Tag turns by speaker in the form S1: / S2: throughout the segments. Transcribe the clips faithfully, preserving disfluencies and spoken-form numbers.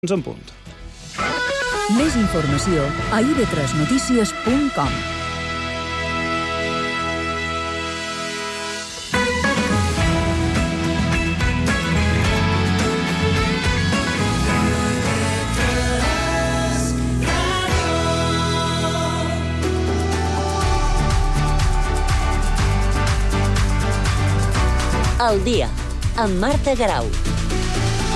S1: En punt.
S2: Més informació a i ve tres notícies punt com.
S3: El dia, amb Marta Garau.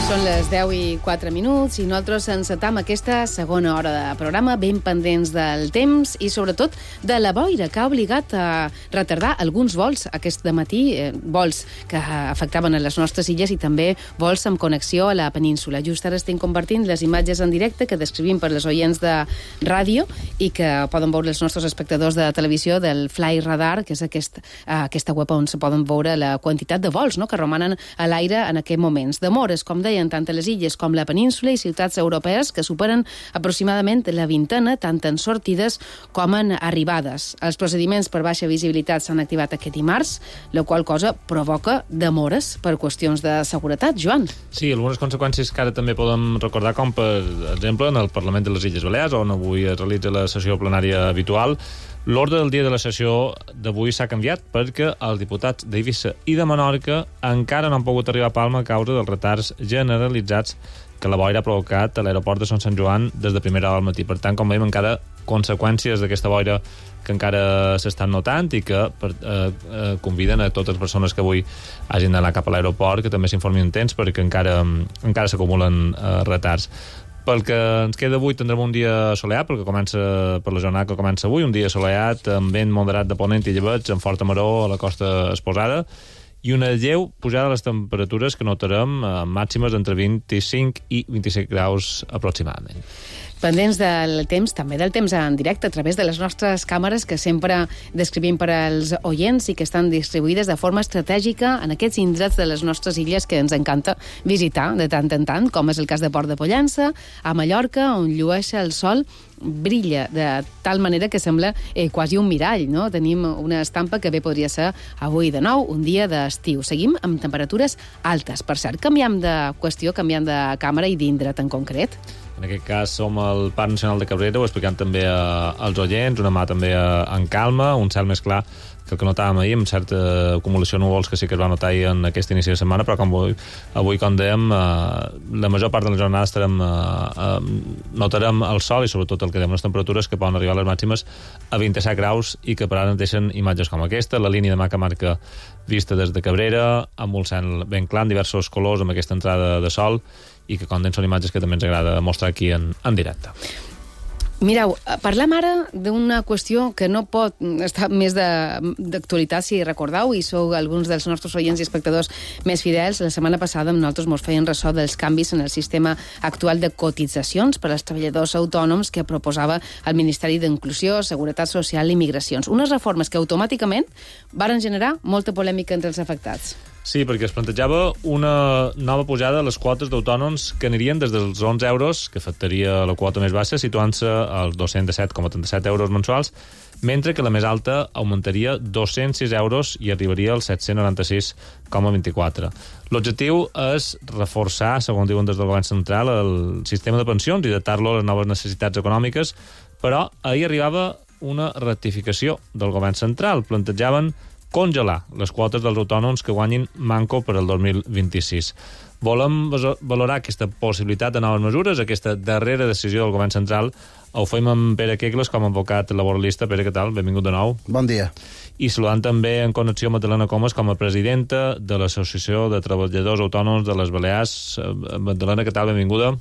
S4: Són les deu i quatre minuts i nosaltres encetam aquesta segona hora de programa ben pendents del temps i sobretot de la boira que ha obligat a retardar alguns vols aquest dematí, eh, vols que afectaven a les nostres illes i també vols amb connexió a la península. Just ara estem compartint les imatges en directe que descrivim per les oients de ràdio i que poden veure els nostres espectadors de televisió del Fly Radar, que és aquest, eh, aquesta web on se poden veure la quantitat de vols, no?, que romanen a l'aire en aquests moments. Demores, com deia, tant a les illes com la península i ciutats europees que superen aproximadament la vintena, tant en sortides com en arribades. Els procediments per baixa visibilitat s'han activat aquest dimarts, la qual cosa provoca demores per qüestions de seguretat. Joan?
S5: Sí, algunes conseqüències que ara també podem recordar, com per exemple en el Parlament de les Illes Balears, on avui es realitza la sessió plenària habitual. L'ordre del dia de la sessió d'avui s'ha canviat perquè els diputats d'Eivissa i de Menorca encara no han pogut arribar a Palma a causa dels retards generalitzats que la boira ha provocat a l'aeroport de Son Sant Joan des de primera hora del matí. Per tant, com veiem, encara conseqüències d'aquesta boira que encara s'estan notant i que per, eh, eh, conviden a totes les persones que avui hagin d'anar cap a l'aeroport que també s'informin en temps perquè encara, encara s'acumulen eh, retards. Pel que ens queda avui tindrem un dia assolellat, perquè comença per la jornada que comença avui, un dia assolellat amb vent moderat de ponent i llebeig, amb forta maror a la costa exposada, i una lleu pujada de les temperatures que notarem eh, màximes entre vint-i-cinc i vint-i-set graus aproximadament.
S4: Pendents del temps, també del temps en directe, a través de les nostres càmeres que sempre descrivim per als oients i que estan distribuïdes de forma estratègica en aquests indrets de les nostres illes que ens encanta visitar de tant en tant, com és el cas de Port de Pollença, a Mallorca, on llueix el sol, brilla de tal manera que sembla eh, quasi un mirall, no? Tenim una estampa que bé podria ser avui de nou, un dia d'estiu. Seguim amb temperatures altes. Per cert, canviem de qüestió, canviem de càmera i d'indret en concret.
S5: En aquest cas som al Parc Nacional de Cabrera, ho explicant també a, als oients, una mà també a, en calma, un cel més clar que el que notàvem ahir, amb certa acumulació de núvols que sí que es va notar ahir en aquest inici de setmana, però com avui, avui com dèiem, eh, la major part de la jornada estarem, eh, eh, notarem el sol i sobretot el que dèiem, les temperatures que poden arribar a les màximes a vint-i-set graus i que per ara ens deixen imatges com aquesta, la línia de mà que marca vista des de Cabrera, amb un cel ben clar, en diversos colors, amb aquesta entrada de sol, i que com dèiem són imatges que també ens agrada mostrar aquí en, en directe.
S4: Mireu, parlem ara d'una qüestió que no pot estar més d'actualitat, si recordeu, i sou alguns dels nostres oients i espectadors més fidels. La setmana passada amb nosaltres mos feien ressò dels canvis en el sistema actual de cotitzacions per als treballadors autònoms que proposava el Ministeri d'Inclusió, Seguretat Social i Migracions. Unes reformes que automàticament varen generar molta polèmica entre els afectats.
S5: Sí, perquè es plantejava una nova pujada a les quotes d'autònoms que anirien des dels onze euros, que afectaria la quota més baixa, situant-se als dos-cents disset coma trenta-set euros mensuals, mentre que la més alta augmentaria dos-cents sis euros i arribaria als set-cents noranta-sis coma vint-i-quatre. L'objectiu és reforçar, segons diuen des del govern central, el sistema de pensions i adaptar-lo a les noves necessitats econòmiques, però ahir arribava una rectificació del govern central. Plantejaven congelar les quotes dels autònoms que guanyin manco per al dos mil vint-i-sis. Volem valorar aquesta possibilitat de noves mesures, aquesta darrera decisió del govern central. Ho fem amb Pere Kegles com a advocat laboralista. Pere, què tal? Benvingut de nou.
S6: Bon dia.
S5: I saludant també en connexió Magdalena Comas com a presidenta de l'Associació de Treballadors Autònoms de les Balears. Magdalena, què tal? Benvinguda.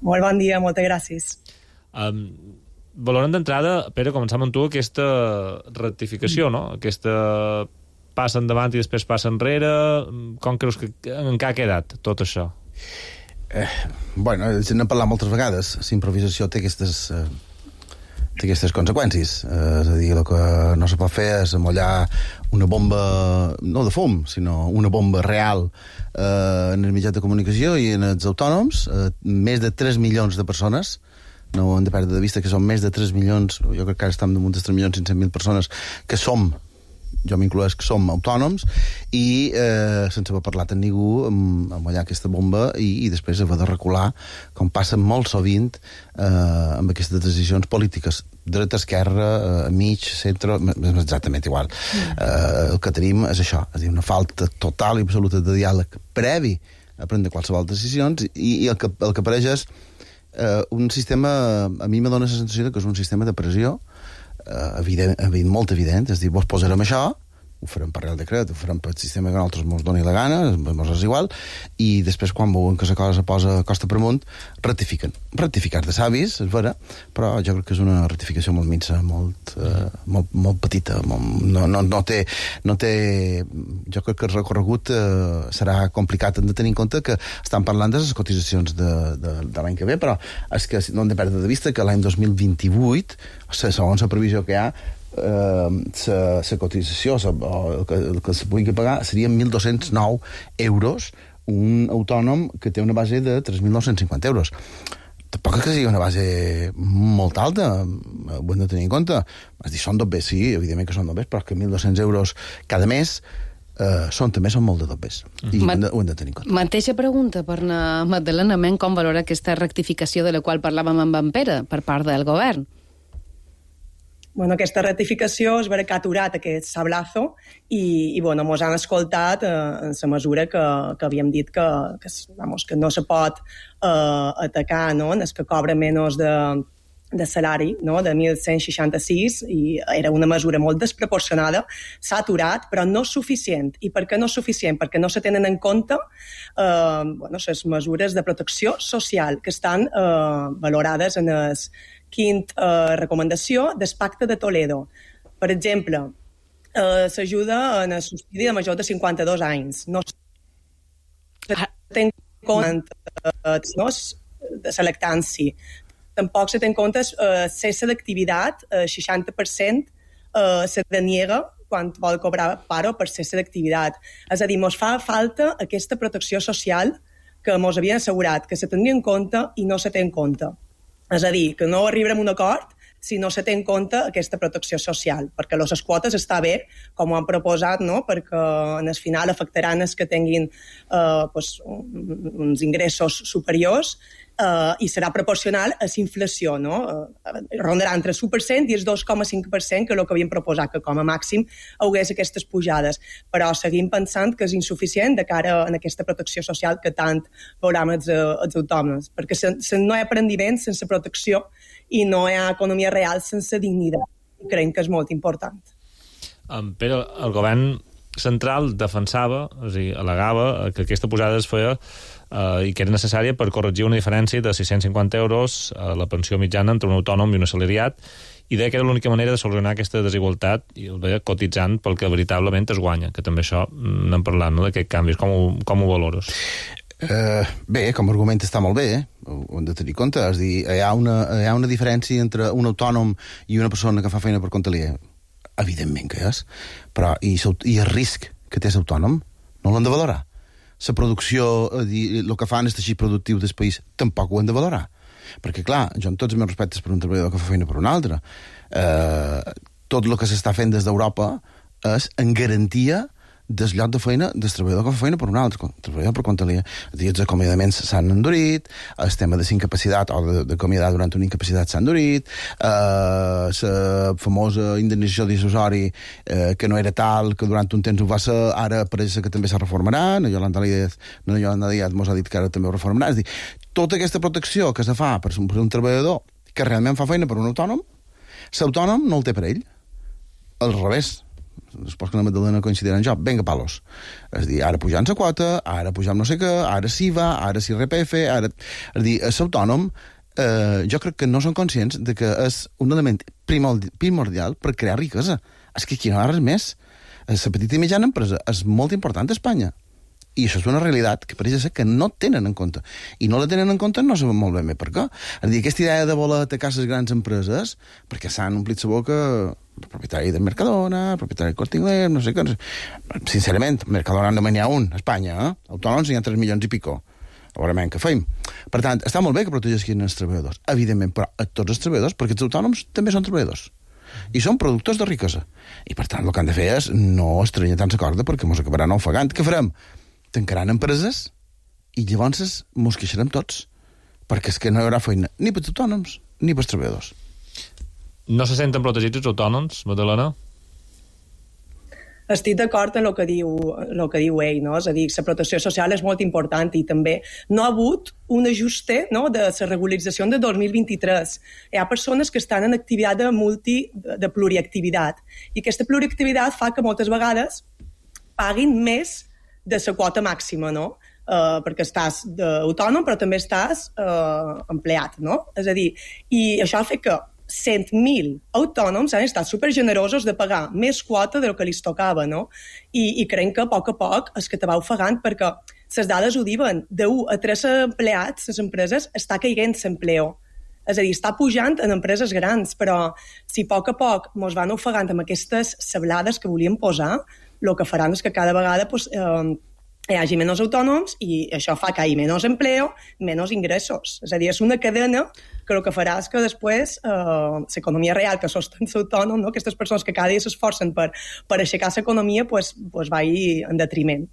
S7: Molt bon dia, moltes gràcies.
S5: Um, Valorem d'entrada, Pere, començam amb tu aquesta rectificació, no? Aquesta passa endavant i després passa enrere. Com creus que en què ha quedat tot això?
S6: Eh, bueno, se n'ha parlat moltes vegades. La improvisació té aquestes, eh, té aquestes conseqüències. Eh, és a dir, el que no se pot fer és amollar una bomba, no de fum, sinó una bomba real eh, en els mitjans de comunicació i en els autònoms. Eh, més de tres milions de persones, no hem de perdre de vista que són més de tres milions, jo crec que ara estem damunt de tres milions cinc-cents mil persones, que som jo m'incloès que som autònoms, i eh, sense haver parlat amb ningú, amb, amb allà aquesta bomba, i, i després haver de recular, com passa molt sovint eh, amb aquestes decisions polítiques, dreta, esquerra, eh, mig, centre, és exactament igual. Mm. Eh, el que tenim és això, és a dir, una falta total i absoluta de diàleg previ a prendre qualsevol decisions, i, i el, que, el que apareix és eh, un sistema, a mi me dona la sensació que és un sistema de pressió Uh, evident, evident, molt evident, és dir, vos posarem això, ho farem per Real Decret, ho farem per sistema que a nosaltres ens doni la gana, ens és igual, i després quan veuen que la cosa posa costa per amunt, ratifiquen. Ratificar de savis, és vera, però jo crec que és una ratificació molt minsa, molt, uh, molt, molt petita, molt, no, no, no, té, no té... Jo crec que el recorregut uh, serà complicat. Hem de tenir en compte que estan parlant de les cotitzacions de, de, de l'any que ve, però és que no hem de perdre de vista que l'any dos mil vint-i-vuit, segons la previsió que hi ha, la uh, cotització sa, o el que, el que se pugui pagar serien mil dos-cents nou euros un autònom que té una base de tres mil nou-cents cinquanta euros. Tampoc que sigui una base molt alta, ho hem de tenir en compte. És dir, són dobbers, sí, evidentment que són dobbers, però que mil dos-cents euros cada mes Uh, són també són molt de dobbers, i
S4: Ma-
S6: ho, hem de, ho hem de tenir en compte.
S4: Mateixa pregunta per na Magdalena Men, com valora aquesta rectificació de la qual parlàvem amb en Pere per part del govern?
S7: Bueno, aquesta ratificació és vera que ha aturat aquest sablazo i, i bueno, mos han escoltat eh, en la mesura que, que havíem dit que, que, vamos, que no se pot eh, atacar, no?, en el que cobra menys de, de salari, no?, de mil cent seixanta-sis, i era una mesura molt desproporcionada, s'ha aturat, però no és suficient. I per què no és suficient? Perquè no se tenen en compte eh, bueno, les mesures de protecció social que estan eh, valorades en el quint eh, recomanació del Pacte de Toledo. Per exemple, eh, s'ajuda en el subsidi de major de cinquanta-dos anys. No se té en compte eh, no, de la lactància. Tampoc se té en compte eh, cessa d'activitat, eh, seixanta per cent eh, se deniega quan vol cobrar paro per cessa d'activitat. És a dir, mos fa falta aquesta protecció social que mos havien assegurat que se tindria en compte i no se té en compte. És a dir, que no arribarem a un acord si no se té en compte aquesta protecció social, perquè les quotes està bé, com ho han proposat, no?, perquè en el final afectaran els que tinguin eh, pues, uns ingressos superiors eh, i serà proporcional a la inflació, no? Eh, rondarà entre el u per cent i el dos coma cinc per cent, que és el que havien proposat, que com a màxim hagués aquestes pujades. Però seguim pensant que és insuficient de cara a aquesta protecció social que tant veurem els, els autònoms, perquè se, se no hi ha aprendiment sense protecció i no hi ha economia real sense dignitat. I creiem que és molt important.
S5: Um, però el govern central defensava, és a dir, al·legava que aquesta pujada es feia uh, i que era necessària per corregir una diferència de sis-cents cinquanta euros a la pensió mitjana entre un autònom i un assalariat, i deia que era l'única manera de solucionar aquesta desigualtat, i ho deia cotitzant pel que veritablement es guanya, que també això n'hem parlat, no?, d'aquests canvis. Com ho, com ho valores?
S6: Uh, bé, com a argument està molt bé, eh? Ho hem de tenir en compte. És dir, hi ha, una, hi ha una diferència entre un autònom i una persona que fa feina per compte aliè. Evidentment que és, però i, i el risc que té l'autònom no l'hem de valorar. La producció, el que fan el teixit productiu del país, tampoc ho hem de valorar. Perquè, clar, jo amb tots els meus respectes per un treballador que fa feina per un altre, eh, tot el que s'està fent des d'Europa és en garantia del lloc de feina del treballador que fa feina per un altre, el treballador per compte aliè. Els acomiadaments s'han endurit, el tema de la incapacitat o d'acomiadar durant una incapacitat s'ha endurit, eh, la famosa indemnització dissuasori eh, que no era tal, que durant un temps ho va ser, ara pareix que també se reformarà, la Yolanda Díaz, no, Yolanda Díaz mos ha dit que ara també ho reformarà. És dir, tota aquesta protecció que se fa per un, per un treballador que realment fa feina per un autònom, l'autònom no el té per ell. Al revés. Després que la Magdalena coincidirà en jo, venga palos. És dir, ara pujant la quota, ara pujant no sé què, ara S I V A, ara S I R P F, ara... És dir, l'autònom, eh, jo crec que no són conscients de que és un element primordial per crear riquesa. És que aquí no hi ha res més. La petita i mitjana empresa és molt important a Espanya. I això és una realitat que pareix ser que no tenen en compte. I no la tenen en compte no sabem molt ben bé per què. És dir, aquesta idea de voler atacar les grans empreses, perquè s'han omplit la boca el propietari de Mercadona, el propietari del Corte Inglés, no sé què. Sincerament, Mercadona només n'hi ha un, a Espanya, eh? Autònoms n'hi ha tres milions i pico. Veurem què feim. Per tant, està molt bé que protegissin els treballadors, evidentment, però a tots els treballadors, perquè els autònoms també són treballadors. I són productors de riquesa. I, per tant, el que han de fer és no estranyar tant la corda perquè mos acabaran ofegant. Què farem? Tancaran empreses i llavors mos queixarem tots. Perquè és que no hi haurà feina ni per autònoms ni per treballadors.
S5: No se senten protegits els autònoms, Madalena?
S7: Estic d'acord en el que diu, el que diu ell, no? És a dir, la protecció social és molt important i també no ha hagut un ajuste, no, de la regularització de dos mil vint-i-tres. Hi ha persones que estan en activitat de multi, de pluriactivitat i aquesta pluriactivitat fa que moltes vegades paguin més de la quota màxima, no? Uh, perquè estàs autònom però també estàs uh, empleat, no? És a dir, i això fa que cent mil autònoms han estat supergenerosos de pagar més quota del que li tocava, no? I, i creiem que a poc a poc és que te va ofegant perquè les dades ho diuen, d'un a tres empleats, les empreses, està caient l'empleo. És a dir, està pujant en empreses grans, però si a poc a poc mos van ofegant amb aquestes sablades que volíem posar, el que faran és que cada vegada pues, eh, hi hagi menys autònoms i això fa que hi hagi menys empleo, menys ingressos. És a dir, és una cadena que el que farà és que després eh, l'economia real que sostén l'autònom, no? Aquestes persones que cada dia s'esforcen per, per aixecar l'economia, pues, pues va en detriment.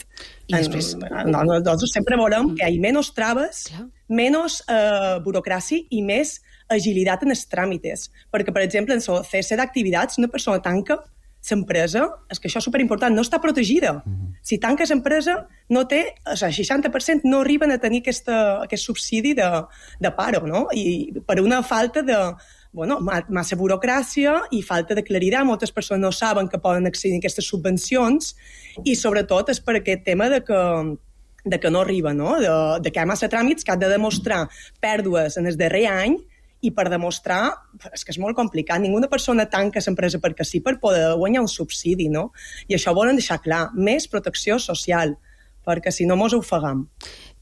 S7: I després... En, nosaltres sempre volem que hi hagi menys traves, Clar. menys eh, burocràcia i més agilitat en els tràmites. Perquè, per exemple, en el C S d'activitats, una persona tanca l'empresa, és que això és superimportant, no està protegida. Mm-hmm. Si tanques l'empresa, no té, o sigui, seixanta per cent no arriben a tenir aquesta, aquest subsidi de, de paro, no? I per una falta de, bueno, massa burocràcia i falta de claritat. Moltes persones no saben que poden accedir a aquestes subvencions i, sobretot, és per aquest tema de que de que no arriba, no? De, de que hi ha massa tràmits que han de demostrar pèrdues en el darrer any i per demostrar, és que és molt complicat, ninguna persona tanca l'empresa perquè sí per poder guanyar un subsidi, no? I això volen deixar clar, més protecció social, perquè si no mos ofegam.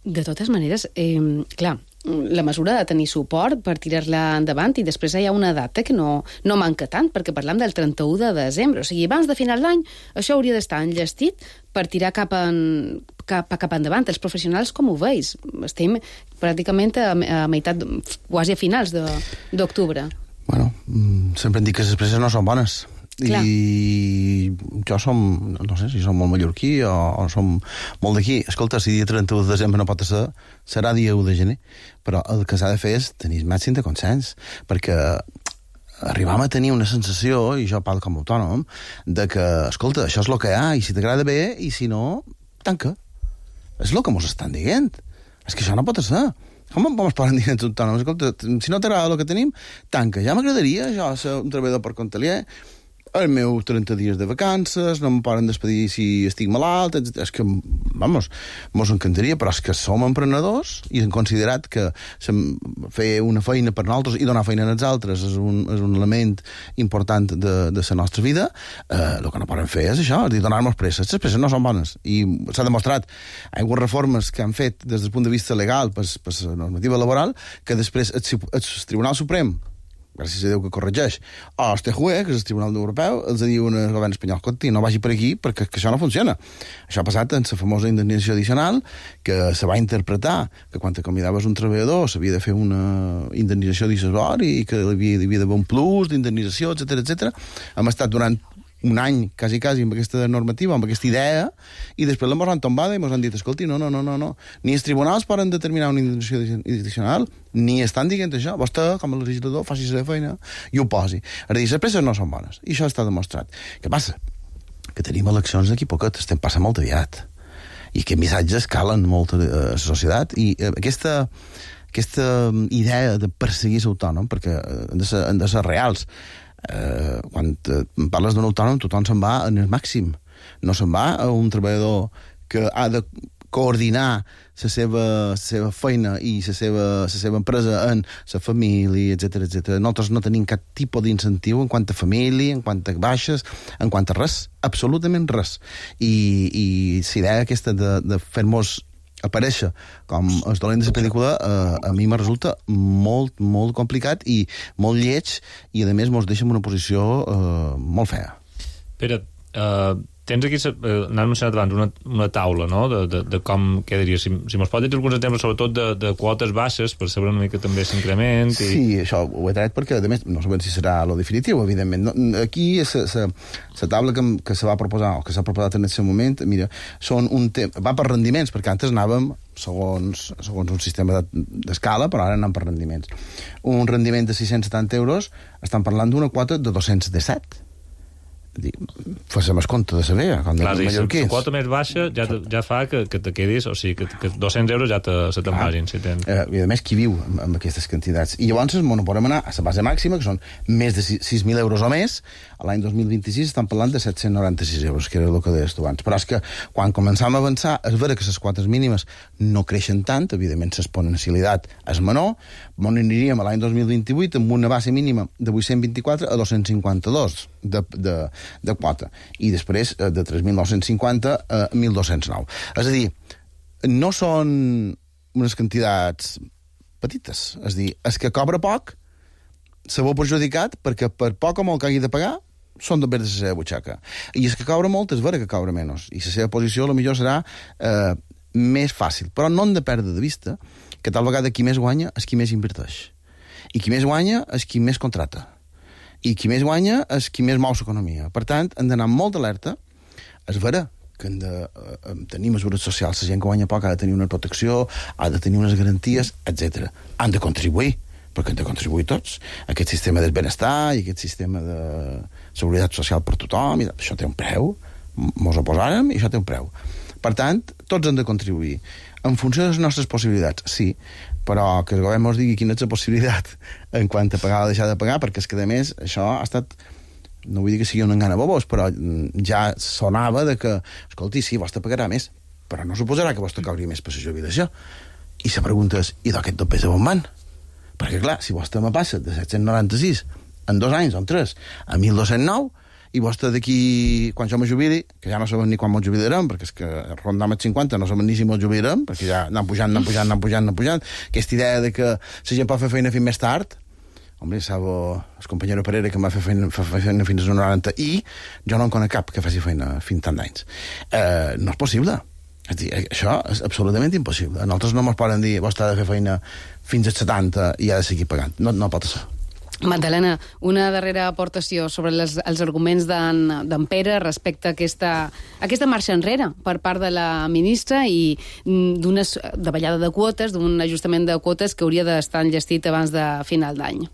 S4: De totes maneres, eh, clar, la mesura de tenir suport per tirar-la endavant i després hi ha una data que no, no manca tant, perquè parlam del trenta-u de desembre, o sigui, abans de final d'any això hauria d'estar enllestit per tirar cap, en, cap, cap endavant. Els professionals, com ho veus? Estem pràcticament a, a meitat, quasi a finals d'octubre.
S6: Bueno, sempre em dic que les presses no són bones. Clar. I jo som, no sé si som molt mallorquí o, o som molt d'aquí. Escolta, si dia trenta-u de desembre no pot ser, serà dia u de gener. Però el que s'ha de fer és tenir màxim de consens, perquè arribam a tenir una sensació, i jo parlo com a autònom, de que, escolta, això és el que hi ha, i si t'agrada bé, i si no, tanca. És el que mos estan dient. És que això no pot ser. Com ens poden dir els autònoms? Escolta, si no t'agrada el que tenim, tanca. Ja m'agradaria, jo, ser un treballador per compte aliè, els meus trenta dies de vacances, no em poden despedir si estic malalt, etcètera. És que, vamos, mos encantaria, però és que som emprenedors i hem considerat que fer una feina per nosaltres i donar feina als altres és un, és un element important de, de la nostra vida. Eh, el que no poden fer és això, és dir, donar-nos presses. Les presses no són bones. I s'ha demostrat, hi ha hagut reformes que han fet des del punt de vista legal per, per la normativa laboral que després el, el Tribunal Suprem, gràcies a Déu que corregeix, o el T J U E, que és el Tribunal Europeu, els diu al govern espanyol, escolti, no vagi per aquí perquè que això no funciona. Això ha passat en la famosa indemnització addicional, que se va interpretar que quan acomiadaves un treballador s'havia de fer una indemnització addicional i que hi havia, hi havia d'haver un plus d'indemnització, etcètera, etcètera. Hem estat durant un any, quasi, quasi, amb aquesta normativa, amb aquesta idea, i després l'hem han tombada i ens han dit, escolti, no, no, no, no, no. Ni els tribunals poden determinar una indemnització addicional, ni estan dient això. Vostè, com a legislador, faci la feina i ho posi. És a dir, les presses no són bones, i això està demostrat. Què passa? Que tenim eleccions d'aquí poquet, estem passant molt aviat, i que missatges calen molt a la societat, i aquesta... aquesta idea de perseguir l'autònom, perquè han de ser, han de ser reals. Eh, quan parles d'un autònom, tothom se'n va en el màxim. No se'n va a un treballador que ha de coordinar la seva, la seva feina i la seva, la seva empresa en la família, etcètera, etcètera. Nosaltres no tenim cap tipus d'incentiu en quant a família, en quant a baixes, en quant a res, absolutament res. I, i la idea aquesta de, de fer-nos aparèixer com el dolent de la pel·lícula eh, a mi me resulta molt, molt complicat i molt lleig, i a més mos deixa en una posició eh, molt fea.
S5: Pere, Uh, tens aquí, uh, n'hem mencionat abans, una, una taula, no?, de, de, de com quedaria. Si, si mos pot dir alguns exemples, sobretot de, de quotes baixes, per saber una mica també s'increment. I...
S6: Sí, això ho he tret perquè, a més, no sabem si serà lo definitiu, evidentment. No, aquí, la taula que, que se va proposar, o que s'ha proposat en aquest moment, mira, són un tema, va per rendiments, perquè antes anàvem segons, segons un sistema d'escala, però ara anem per rendiments. Un rendiment de sis-cents setanta euros, estan parlant d'una quota de dos-cents disset. Fes-me el compte de saber, com
S5: clar,
S6: de mallorquins.
S5: La quota més baixa ja, te, ja fa que, que te quedis, o sigui, que, que dos-cents euros ja te, se te'n vagin. Si tens...
S6: eh, I a més, qui viu amb, amb aquestes quantitats? I llavors bueno, podem anar a la base màxima, que són més de sis mil euros o més. A l'any dos mil vint-i-sis estan parlant de set-cents noranta-sis euros, que era el que deies tu abans. Però és que quan començam a avançar, és vera que les quotes mínimes no creixen tant, evidentment l'exponencialitat és menor, on aniríem a l'any dos mil vint-i-vuit amb una base mínima de vuit-cents vint-i-quatre a dos-cents cinquanta-dos de, de, de quota, i després de tres mil nou-cents cinquanta a mil dos-cents nou. És a dir, no són unes quantitats petites, és a dir, és que cobra poc, se veu perjudicat perquè per poc o molt que hagi de pagar són de de la seva butxaca. I és que cobra molt, és vera que cobra menys, i la seva posició potser serà eh, més fàcil, però no hem de perdre de vista que tal vegada qui més guanya és qui més inverteix, i qui més guanya és qui més contrata, i qui més guanya és qui més mou l'economia. Per tant, hem d'anar molt alerta. És vera que hem de eh, tenir mesures socials. La gent que guanya poc ha de tenir una protecció, ha de tenir unes garanties, etcètera. Han de contribuir, perquè han de contribuir tots. Aquest sistema del benestar i aquest sistema de seguretat social per tothom, i això té un preu. Mos oposàrem i això té un preu. Per tant, tots han de contribuir. En funció de les nostres possibilitats, sí, però que el govern ens digui quina és la possibilitat en quant a pagar o deixar de pagar, perquè és que, a més, això ha estat, no vull dir que sigui un engany a bobos, però ja sonava de que, escolti, sí, vostè pagarà més, però no suposarà que vostè cobri més per la jubilació. I la pregunta és, i d'aquest dos pes a on van? Perquè, clar, si vostè me passa de set-cents noranta-sis en dos anys o en tres a mil dos-cents nou, i vostè d'aquí, quan jo me jubili, que ja no sabem ni quan mos jubilarem, perquè és que rondam els cinquanta no sabem ni si mos jubilarem, perquè ja anem pujant, anem pujant, anem pujant, anem pujant. Aquesta idea de que la gent pot fer feina fins més tard, home, sabo el companyero Pereira que m'ha fet feina, feina fins als noranta, i jo no en conec cap que faci feina fins tant d'anys. Eh, no és possible. És dir, això és absolutament impossible. Nosaltres no ens poden dir, vostè ha de fer feina fins als setanta i ha de seguir pagant. No, no pot ser.
S4: Magdalena, una darrera aportació sobre les, els arguments d'en Pere respecte a aquesta, a aquesta marxa enrere per part de la ministra i d'una davallada de quotes, d'un ajustament de quotes que hauria d'estar enllestit abans de final d'any.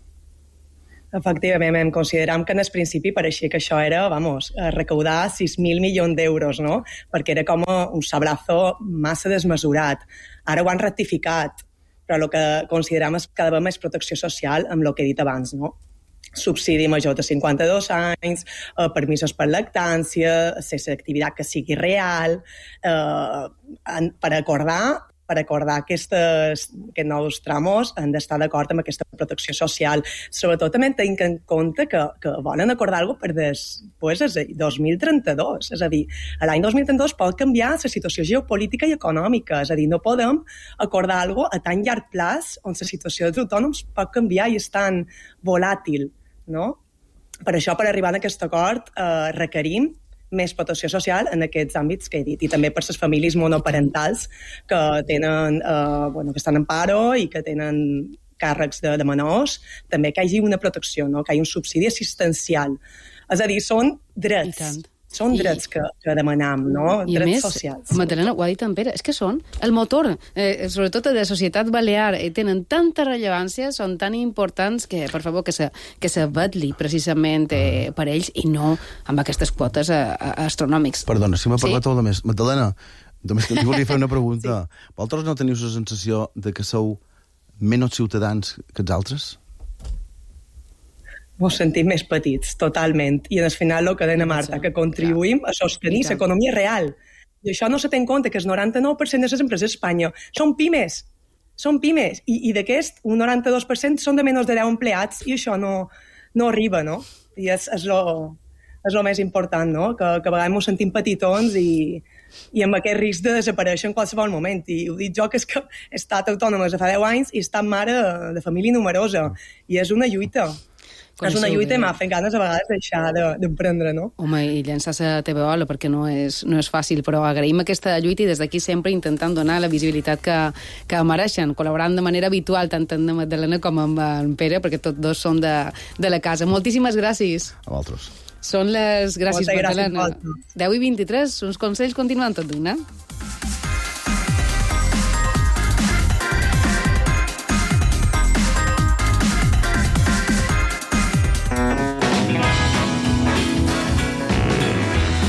S7: Efectivament, consideram que en el principi pareixia que això era, vamos, recaudar sis mil milions d'euros, no? Perquè era com un sablazo massa desmesurat. Ara ho han rectificat, però el que considerem és que ha d'haver més protecció social amb el que he dit abans, no? Subsidi major de cinquanta-dos anys, eh, permisos per lactància, cessa d'activitat que sigui real, eh, per acordar per acordar aquestes, aquests nous tramos han d'estar d'acord amb aquesta protecció social. Sobretot també tenint en compte que, que volen acordar alguna cosa per des, pues, el dos mil trenta-dos. És a dir, l'any dos mil trenta-dos pot canviar la situació geopolítica i econòmica. És a dir, no podem acordar alguna cosa a tan llarg plaç on la situació dels autònoms pot canviar i és tan volàtil, no? Per això, per arribar a aquest acord, eh, requerim més protecció social en aquests àmbits que he dit, i també per les famílies monoparentals que tenen, eh, bueno, que estan en paro i que tenen càrrecs de, de menors, també que hi hagi una protecció, no? Que hi hagi un subsidi assistencial. És a dir, són drets. Són I... drets que, que demanam, no?
S4: I
S7: drets
S4: més,
S7: socials.
S4: Magdalena, ho ha dit en Pere, és que són el motor, eh, sobretot de la societat balear, eh, tenen tanta rellevància, són tan importants que, per favor, que se, que se vetli precisament eh, per ells i no amb aquestes quotes eh, astronòmics.
S6: Perdona, si m'ha parlat
S4: sí?
S6: molt més. Magdalena, només que t'hi volia fer una pregunta. Sí. Vosaltres no teniu la sensació de que sou menys ciutadans que els altres?
S7: Ens sentim més petits, totalment. I al final el que deia Marta, que contribuïm a sostenir l'economia real. I això no se té en compte, que el noranta-nou per cent de les empreses d'Espanya són pimes. Són pimes. I, i d'aquest, un noranta-dos per cent són de menys de deu empleats i això no, no arriba, no? I és, és lo... és el més important, no? Que, que a vegades ens sentim petitons i, i amb aquest risc de desaparèixer en qualsevol moment. I ho dic jo, que és que he estat autònoma de fa deu anys i he estat mare de família numerosa. I és una lluita. és una lluita i m'ha fet ganes a vegades deixar d'emprendre, no?
S4: Home, i llançar-se a T V O perquè no és, no és fàcil, però agraïm aquesta lluita i des d'aquí sempre intentant donar la visibilitat que, que mereixen, col·laborant de manera habitual tant amb Magdalena com amb en Pere, perquè tots dos són de, de la casa. Moltíssimes gràcies.
S6: A vosaltres.
S4: Són les... Gràcies,
S7: Moltes
S4: Magdalena.
S7: gràcies,
S4: deu i vint-i-tres, uns consells continuant tot d'una.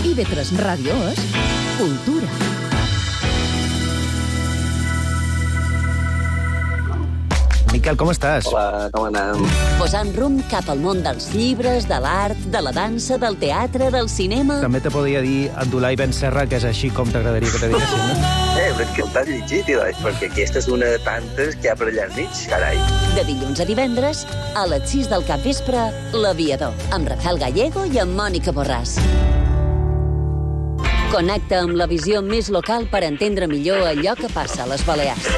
S2: I V tres Ràdio és cultura.
S1: Miquel, com estàs?
S8: Hola, com anem?
S3: Posant rumb cap al món dels llibres, de l'art, de la dansa, del teatre, del cinema...
S1: També te podria dir Abdullah Ben Serra, que és així com t'agradaria que te diguessin, no?
S8: Eh, però és que t'has llegit, doncs, perquè aquesta és una de tantes que hi ha per allà enmig, carai.
S3: De dilluns a divendres, a les sis del capvespre, L'Aviador, amb Rafael Gallego i amb Mònica Borràs. Connecta amb la visió més local per entendre millor allò que passa a les Balears.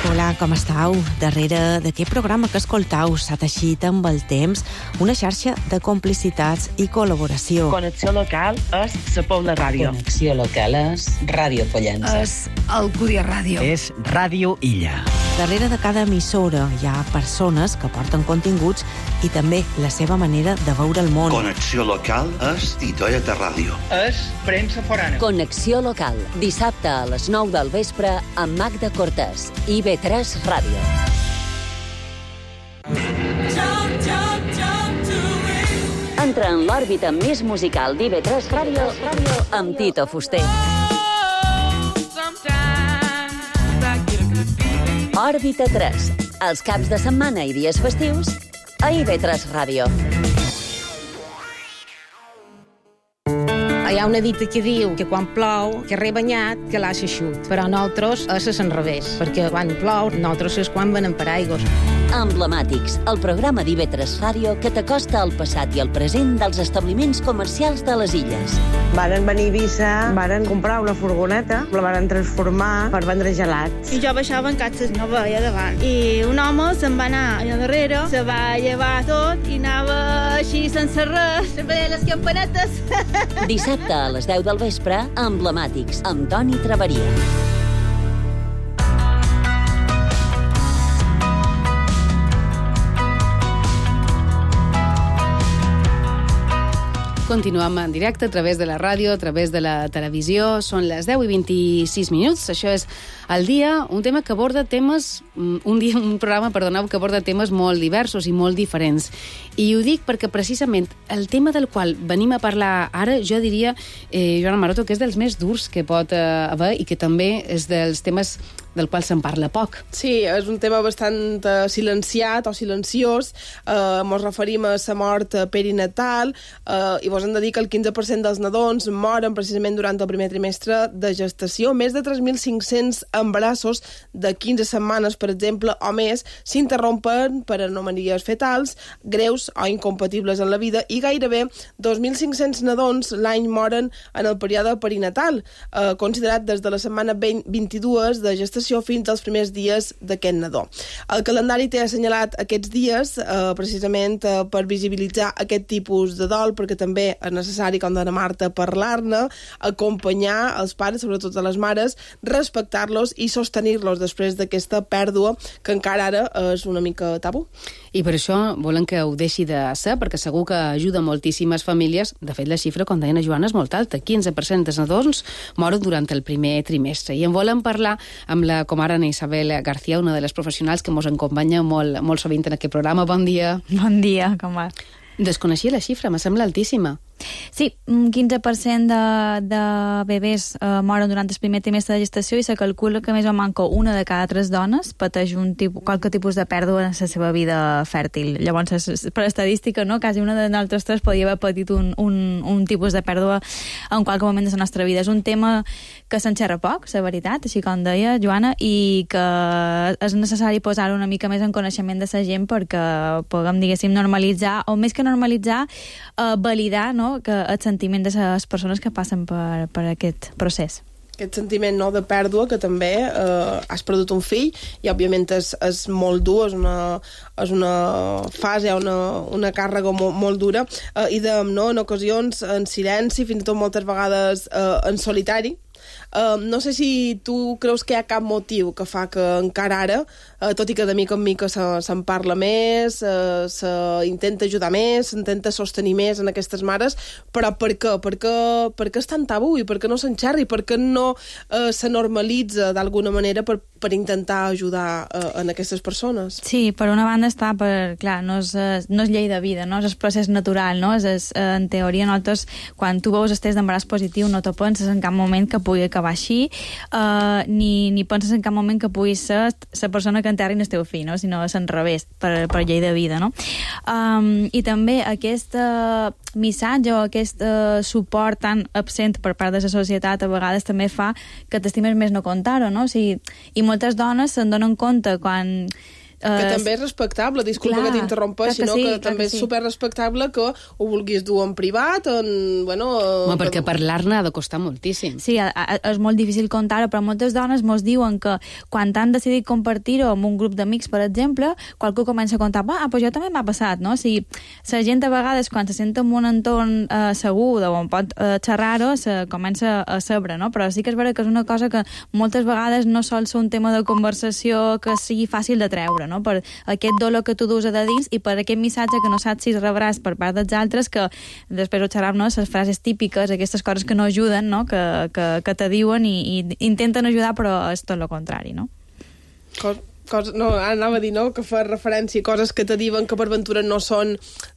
S9: Hola, com estàu? Darrere d'aquest programa que escoltau s'ha teixit amb el temps una xarxa de complicitats i col·laboració.
S10: Connexió local és la Pobla Ràdio.
S11: Connexió local és Ràdio Pollença.
S2: És Alcúdia Ràdio.
S1: És Ràdio Illa.
S9: Darrere de cada emissora hi ha persones que porten continguts i també la seva manera de veure el món.
S12: Connexió local és Titoia de Ràdio.
S10: És premsa forana.
S3: Connexió local, dissabte a les nou del vespre amb Magda Cortés, I V tres Ràdio. Entra en l'òrbita més musical d'I V tres Ràdio amb Tito Fuster. Òrbita tres, els caps de setmana i dies festius a I V tres Ràdio.
S13: Hi ha una dita que diu que quan plou, que rebanyat, que l'ha xeixut. Però nosaltres és al revés, perquè quan plou, nosaltres és quan venem paraigües.
S3: Emblemàtics, el programa d'I V tres Ràdio que t'acosta al passat i al present dels establiments comercials de les illes.
S14: Varen venir a Eivissa, varen comprar una furgoneta, la varen transformar per vendre gelats.
S15: I jo baixava en catxes, no veia davant. I un home se'n va anar allà darrere, se va llevar tot i anava així sense res, sempre les campanetes.
S3: Dissabte a les deu del vespre, Emblemàtics, amb Toni Traveria.
S4: Continuem en directe a través de la ràdio, a través de la televisió. Són les deu i vint-i-sis minuts. Això és El Dia, un tema que aborda temes... Un dia, un programa, perdoneu, que aborda temes molt diversos i molt diferents. I ho dic perquè precisament el tema del qual venim a parlar ara, jo diria, eh, Joana Maroto, que és dels més durs que pot eh, haver i que també és dels temes del qual se'n parla poc.
S16: Sí, és un tema bastant uh, silenciat o silenciós. Uh, mos referim a la mort perinatal uh, i vos hem de dir que el quinze per cent dels nadons moren precisament durant el primer trimestre de gestació. Més de tres mil cinc-cents embarassos de quinze setmanes, per exemple, o més, s'interrompen per anomalies fetals greus o incompatibles en la vida i gairebé dos mil cinc-cents nadons l'any moren en el període perinatal, uh, considerat des de la setmana vint-i-dos de gestació fins als primers dies d'aquest nadó. El calendari té assenyalat aquests dies eh, precisament eh, per visibilitzar aquest tipus de dol, perquè també és necessari, com deia Marta, parlar-ne, acompanyar els pares, sobretot a les mares, respectar-los i sostenir-los després d'aquesta pèrdua que encara ara és una mica tabú.
S4: I per això volen que ho deixi de ser, perquè segur que ajuda moltíssimes famílies. De fet, la xifra, com deia la Joana, és molt alta. quinze per cent dels nadons moren durant el primer trimestre. I en volen parlar amb la comare Isabel García, una de les professionals que ens acompanya molt, molt sovint en aquest programa. Bon dia.
S17: Bon dia, com va?
S4: Desconeixia la xifra, me sembla altíssima.
S17: Sí, un quinze per cent de, de bebès eh, moren durant el primer trimestre de gestació i se calcula que més o manco una de cada tres dones pateix un tipus, qualque tipus de pèrdua en la seva vida fèrtil. Llavors, per estadística, no? Quasi una de nosaltres tres podria haver patit un, un, un tipus de pèrdua en qualque moment de la nostra vida. És un tema que se'n xerra poc, la veritat, així com deia Joana, i que és necessari posar una mica més en coneixement de la gent perquè puguem, diguéssim, normalitzar, o més que normalitzar, eh, validar, no?, que el sentiment de les persones que passen per, per aquest procés.
S16: aquest sentiment, no?, de pèrdua, que també eh, has perdut un fill, i òbviament és, és molt dur, és una, és una fase, una, una càrrega molt, molt dura, eh, i de, no, en ocasions en silenci, fins i tot moltes vegades eh, en solitari. Uh, no sé si tu creus que hi ha cap motiu que fa que encara ara, uh, tot i que de mica en mica se'n se parla més, uh, s'intenta ajudar més, s'intenta sostenir més en aquestes mares, però per què? Per què, per què és tan tabú i per què no s'enxerri? Per què no uh, se normalitza d'alguna manera per, per intentar ajudar uh, en aquestes persones?
S17: Sí, per una banda està per, clar, no és, no és llei de vida, no és el procés natural, no? És, és, en teoria, nosaltres, quan tu veus el test d'embaràs positiu, no te penses en cap moment que pugui acabar així, uh, ni, ni penses en cap moment que pugui ser la persona que enterri el teu fill, no? Sinó és enrevés, per, per llei de vida, no? Um, I també aquest uh, missatge o aquest uh, suport tan absent per part de la societat a vegades també fa que t'estimes més no contar-ho, no? O sigui, i moltes dones se'n donen compte quan...
S16: Que uh, també és respectable, disculpa clar, que t'interrompeixi, no? Sí, que també és sí. superrespectable que ho vulguis dur en privat, en... Bueno,
S4: Home,
S16: que...
S4: perquè parlar-ne ha de costar moltíssim.
S17: Sí, a, a, és molt difícil contar-ho, però moltes dones mos diuen que quan han decidit compartir-ho amb un grup d'amics, per exemple, qualcú comença a contar, ah, però jo també m'ha passat, no? O sigui, la gent a vegades, quan se sent en un entorn eh, segur, on pot eh, xerrar-ho, se comença a saber, no? Però sí que és vera que és una cosa que moltes vegades no sol ser un tema de conversació que sigui fàcil de treure, no? Per aquest dolor que tu dus a de dins i per aquest missatge que no saps si rebràs per part dels altres, que després ho xerram, no? Les frases típiques, aquestes coses que no ajuden, no? Que, que, que te diuen i, i intenten ajudar, però és tot el contrari, no?
S16: Cos... Cosa, no, anava a dir, no?, que fa referència a coses que te diuen que per ventura no són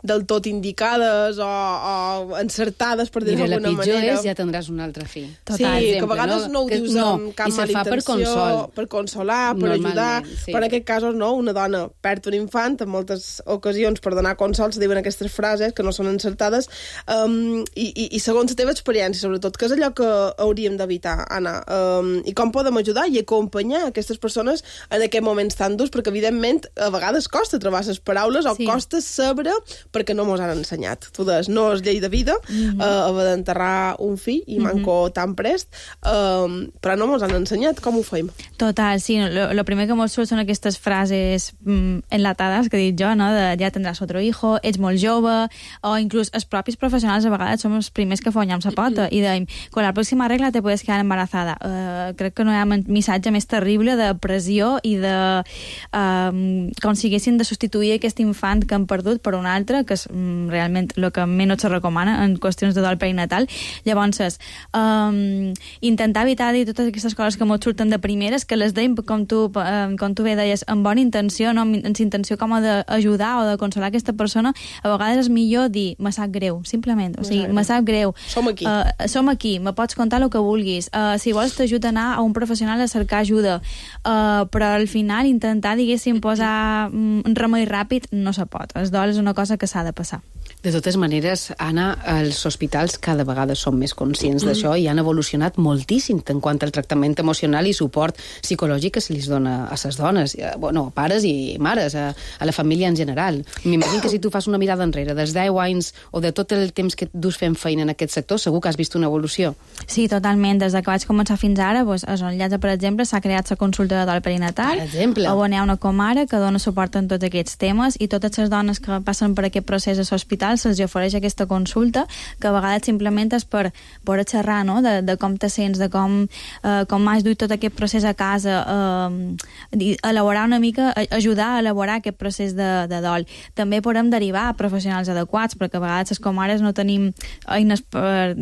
S16: del tot indicades o, o encertades, per dir-ho d'alguna manera.
S4: Mira, la pitjor és ja tindràs un altre fill.
S16: Total, sí, exemple, que a vegades no, no ho dius no, amb cap mala intenció, per, consol. per consolar, per ajudar, sí. Però en aquest cas, no, una dona perd un infant, en moltes ocasions per donar consol se diuen aquestes frases que no són encertades, um, i, i, i segons la teva experiència, sobretot, que és allò que hauríem d'evitar, Anna, um, i com podem ajudar i acompanyar aquestes persones en aquest moment tan durs, perquè evidentment a vegades costa trobar les paraules o sí. costa saber perquè no mos han ensenyat. Tu deies, no és llei de vida mm-hmm. uh, haver d'enterrar un fill i mm-hmm. manco tan prest, uh, però no mos han ensenyat com ho fem.
S17: Total, sí, el primer que mos surt són aquestes frases mm, enlatades que he dit jo, no? De ja tindràs otro hijo, ets molt jove, o inclús els propis professionals a vegades som els primers que fonyam la pota i deim, con la pròxima regla te puedes quedar embarazada. Uh, crec que no hi ha missatge més terrible de pressió i de Um, com si haguessin de substituir aquest infant que han perdut per un altre, que és um, realment el que menys se recomana en qüestions de dol perinatal. Llavors, um, intentar evitar dir totes aquestes coses que ens surten de primeres, que les deim, com tu, um, com tu bé deies, amb bona intenció, no? amb intenció com d'ajudar o de consolar aquesta persona. A vegades és millor dir, me sap greu, simplement. O sigui, me sap greu.
S16: Som aquí.
S17: Uh, som aquí, me pots contar el que vulguis. Uh, si vols t'ajuda a anar a un professional a cercar ajuda. Uh, però al final intentar diguéssim, posar un remei ràpid no se pot. El dol és una cosa que s'ha de passar.
S4: De totes maneres, Anna, els hospitals cada vegada són més conscients mm. d'això i han evolucionat moltíssim en quant al tractament emocional i suport psicològic que se li dona a les dones, bueno, pares i mares, a, a la família en general. M'imagino que si tu fas una mirada enrere dels deu anys o de tot el temps que dus fent feina en aquest sector, segur que has vist una evolució.
S17: Sí, totalment. Des que vaig començar fins ara, doncs, a Son Llatge, per exemple, s'ha creat la consulta de dol perinatal.
S4: Per exemple.
S17: On hi ha una comare que dona suport en tots aquests temes i totes les dones que passen per aquest procés a l'hospital se'ls ofereix aquesta consulta, que a vegades simplement és per poder xerrar, no? de, de com te sents, de com, eh, com has duit tot aquest procés a casa, eh, elaborar una mica, ajudar a elaborar aquest procés de, de dol. També podem derivar a professionals adequats, perquè a vegades les comares no tenim eines per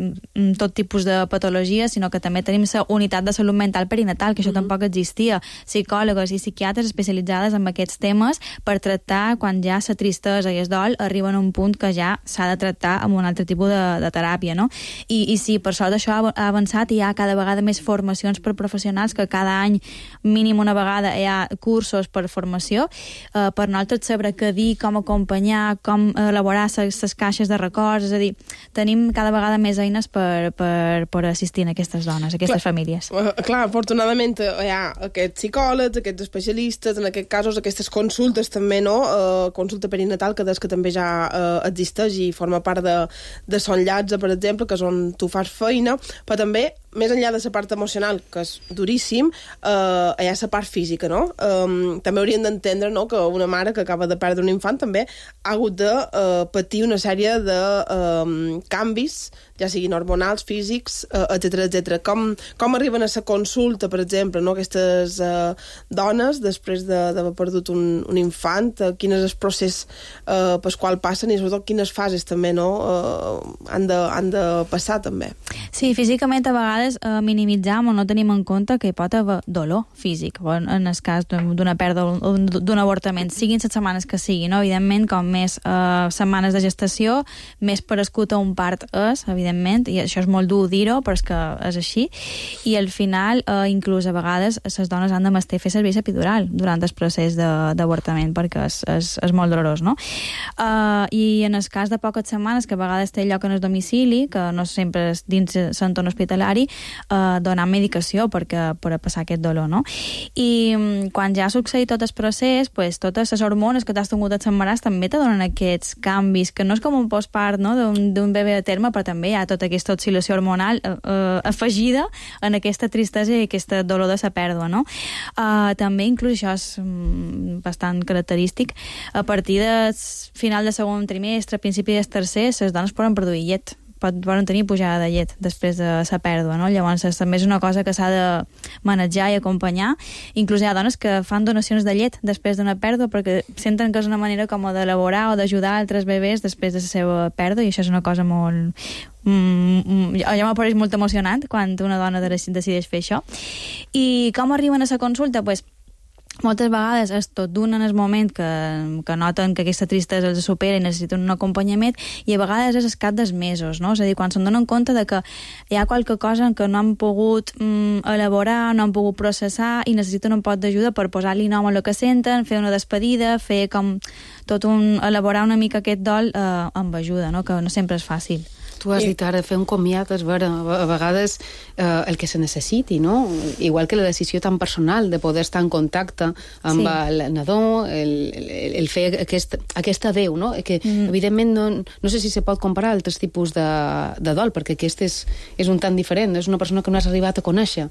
S17: tot tipus de patologies, sinó que també tenim la unitat de salut mental perinatal, que això mm-hmm. tampoc existia, psicòlogs i psiquiatres especialitzades en aquests temes per tractar quan ja la tristesa i el dol arriben a un punt que ja s'ha de tractar amb un altre tipus de, de teràpia, no? I, i sí, per sort això ha avançat i hi ha cada vegada més formacions per professionals, que cada any mínim una vegada hi ha cursos per formació, eh, per nosaltres saber què dir, com acompanyar, com elaborar les caixes de records, és a dir, tenim cada vegada més eines per, per, per assistir a aquestes dones, a aquestes
S16: clar,
S17: famílies.
S16: Uh, clar, afortunadament hi ha aquests psicòlegs, aquests especialistes, en aquests casos aquestes consultes també, no? Uh, consulta perinatal, que des que també ja uh, existeix i forma part de, de Son Llatge, per exemple, que és on tu fas feina, però també més enllà de la part emocional, que és duríssim, eh, hi ha la part física, no? Um, també hauríem d'entendre, no?, que una mare que acaba de perdre un infant també ha hagut de uh, patir una sèrie de um, canvis, ja siguin hormonals, físics, uh, etcètera, etcètera. Com, com arriben a la consulta, per exemple, no?, aquestes uh, dones, després d'haver perdut un, un infant, uh, quin és el procés uh, pel qual passen i sobretot quines fases també, no?, uh, han, de, han de passar també.
S17: Sí, físicament a vegades eh, minimitzam o no tenim en compte que hi pot haver dolor físic, en, en el cas d'una pèrdua o d'un avortament, siguin les setmanes que siguin, no? Evidentment, com més eh, setmanes de gestació, més parescut a un part és, evidentment, i això és molt dur dir-ho, però és que és així, i al final, eh, inclús a vegades, les dones han de mestir fer servir l'epidural durant el procés d'avortament, perquè és, és, és molt dolorós, no? Eh, I en el cas de poques setmanes, que a vegades té lloc en el domicili, que no sempre és dins l'entorn hospitalari, eh, donar medicació perquè, per a passar aquest dolor, no? I mm, quan ja ha succeït tot el procés, pues, totes les hormones que t'has tingut a l'embaràs també te donen aquests canvis, que no és com un postpart, no?, d'un bebè a terme, però també hi ha tota aquesta oscil·lació hormonal eh, eh, afegida en aquesta tristesa i aquest dolor de la pèrdua, no? Eh, també, inclús això és mm, bastant característic, a partir del final del segon trimestre, principi del tercer, les dones poden produir llet, poden tenir pujada de llet després de la pèrdua, no? Llavors també és una cosa que s'ha de manejar i acompanyar. Inclús hi ha dones que fan donacions de llet després d'una pèrdua perquè senten que és una manera com d'elaborar o d'ajudar altres bebès després de la seva pèrdua, i això és una cosa molt... Mm, ja m'apareix molt emocionant quan una dona decideix fer això. I com arriben a la consulta? Pues, moltes vegades és tot d'un en el moment que, que noten que aquesta tristesa els supera i necessiten un acompanyament, i a vegades és al cap dels mesos, no? És a dir, quan se'n donen compte de que hi ha qualque cosa que no han pogut mm, elaborar, no han pogut processar i necessiten un pot d'ajuda per posar-li nom a el que senten, fer una despedida, fer com tot un... elaborar una mica aquest dol eh, amb ajuda, no? Que no sempre és fàcil.
S4: Tu has dit ara, fer un comiat, és vera, a vegades eh, el que se necessiti, no? Igual que la decisió tan personal de poder estar en contacte amb sí. el nadó, el, el, el fer aquest, aquesta veu, no? Que mm. evidentment no, no sé si se pot comparar altres tipus de, de dol, perquè aquest és, és un tant diferent, és una persona que no has arribat a conèixer.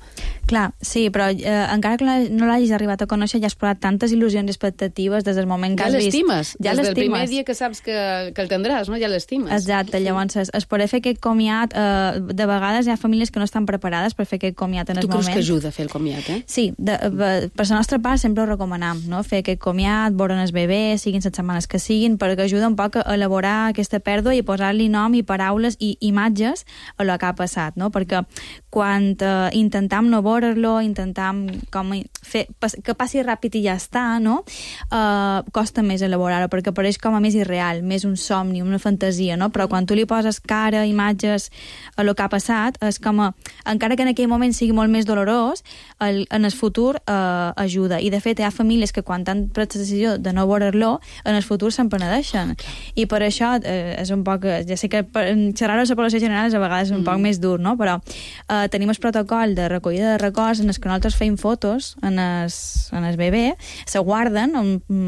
S17: Clar, sí, però eh, encara que no l'hagis arribat a conèixer, ja has posat tantes il·lusions i expectatives des del moment que
S4: ja
S17: has vist.
S4: L'estimes,
S17: ja
S4: des
S17: l'estimes.
S4: del primer dia que saps que, que el tindràs, no? Ja l'estimes.
S17: Exacte, llavors es, es poder fer aquest comiat, eh, de vegades hi ha famílies que no estan preparades per fer aquest comiat en el moment.
S4: Tu creus que ajuda a fer el comiat, eh?
S17: Sí, de, de, per la nostra part sempre ho recomanam, no? Fer aquest comiat, veure el bebè, siguin les setmanes que siguin, perquè ajuda un poc a elaborar aquesta pèrdua i posar-li nom i paraules i imatges a lo que ha passat, no? Perquè quan eh, intentam no veure-lo, intentam com fer, que passi ràpid i ja està, no? Eh, costa més elaborar-ho, perquè apareix com a més irreal, més un somni, una fantasia, no? Però quan tu li poses cara, imatges a lo que ha passat, és com a, encara que en aquell moment sigui molt més dolorós, el, en el futur eh, ajuda. I de fet hi ha famílies que quan han pres la decisió de no veure-lo, en el futur se'n penedeixen. I per això eh, és un poc, ja sé que xerrar-ho a la població general és a vegades un mm. poc més dur, no? Però eh, tenim el protocol de recollida de records en els que nosaltres feim fotos en el, en el bebè, se guarden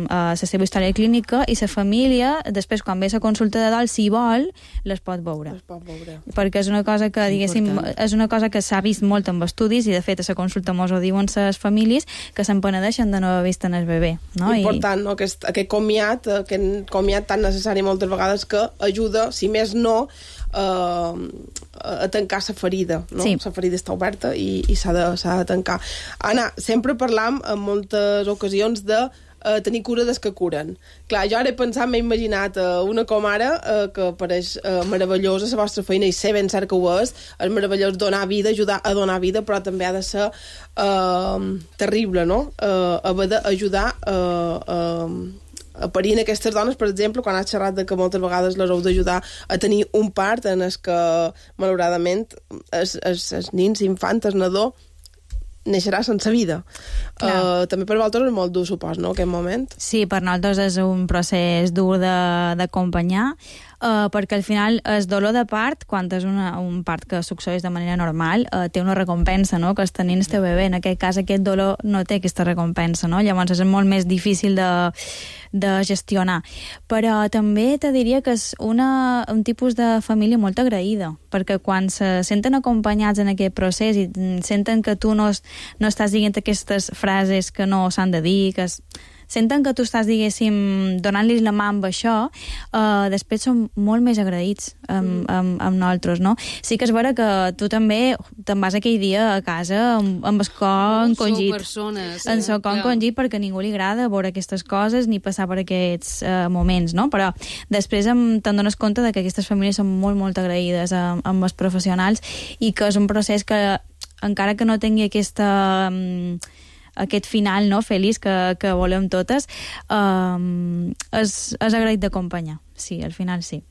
S17: a la seva història clínica i la família, després quan ve la consulta de dol, si vol, les pot veure. Les pot veure. Perquè és una cosa que, diguéssim, és una cosa que s'ha vist molt en estudis, i de fet a la consulta mos ho diuen les famílies, que se'n penedeixen de no haver vist en el bebè. No?
S16: Important, no? Aquest, aquest comiat, aquest comiat tan necessari moltes vegades que ajuda, si més no, Uh, a tancar la ferida, no? Sí. La ferida està oberta i, i s'ha de, s'ha de tancar. Anna, sempre parlam en moltes ocasions de uh, tenir cura des que curen. Clar, jo ara he pensat, m'he imaginat uh, una com ara, uh, que pareix uh, meravellosa la vostra feina, i sé ben cert que ho és, és meravellós donar vida, ajudar a donar vida, però també ha de ser uh, terrible, no? Uh, haver d'ajudar a uh, uh, a parir aquestes dones, per exemple, quan has xerrat de que moltes vegades les heu d'ajudar a tenir un part en el que, malauradament, els, els, els nins, infants, el nadó, neixerà sense vida. Uh, també per vosaltres és molt dur, supos, no?, aquest moment.
S17: Sí, per nosaltres és un procés dur d'acompanyar. uh, perquè al final el dolor de part, quan és una, un part que succeeix de manera normal, uh, té una recompensa, no?, que és tenir el teu bebè. En aquest cas, aquest dolor no té aquesta recompensa, no? Llavors és molt més difícil de, de gestionar. Però també te diria que és una, un tipus de família molt agraïda, perquè quan se senten acompanyats en aquest procés i senten que tu no, no estàs dient aquestes frases que no s'han de dir, que es, senten que tu estàs, diguéssim, donant-los la mà amb això, uh, després són molt més agraïts amb, amb, amb nosaltres, no? Sí que és vera que tu també te'n vas aquell dia a casa amb, amb el cor encongit.
S4: Sou persones.
S17: En el cor encongit perquè a ningú li agrada veure aquestes coses ni passar per aquests uh, moments, no? Però després te'n dones compte de que aquestes famílies són molt, molt agraïdes amb, amb els professionals i que és un procés que, encara que no tingui aquesta... Um, aquest final, no?, feliç que, que volem totes, um, és, és agraït d'acompanyar. Sí, al final sí.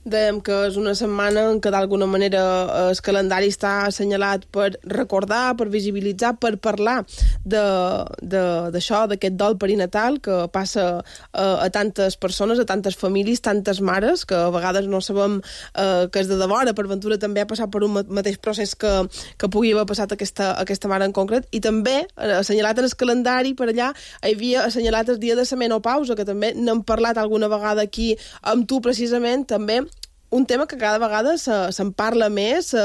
S16: Dèiem que és una setmana en què d'alguna manera el calendari està assenyalat per recordar, per visibilitzar, per parlar d'això, d'aquest dol perinatal que passa a, a tantes persones, a tantes famílies, tantes mares, que a vegades no sabem eh, que és de devora, per ventura també ha passat per un mateix procés que, que pugui haver passat aquesta, aquesta mare en concret, i també assenyalat en el calendari, per allà hi havia assenyalat el dia de la menopausa, que també n'hem parlat alguna vegada aquí amb tu precisament, també un tema que cada vegada se'n se parla més, se,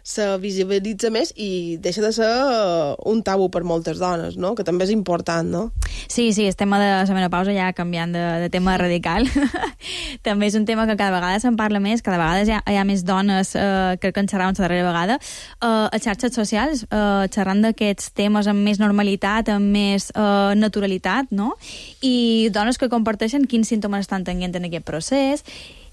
S16: se visibilitza més i deixa de ser un tabú per moltes dones, no?, que també és important, no?
S17: Sí, sí, el tema de la menopausa ja canviant de, de tema radical. També és un tema que cada vegada se'n parla més, cada vegada hi ha, hi ha més dones eh, que en xerraven la darrera vegada, eh, a xarxes socials, eh, xerrant d'aquests temes amb més normalitat, amb més eh, naturalitat, no? I dones que comparteixen quins símptomes estan tenint en aquest procés,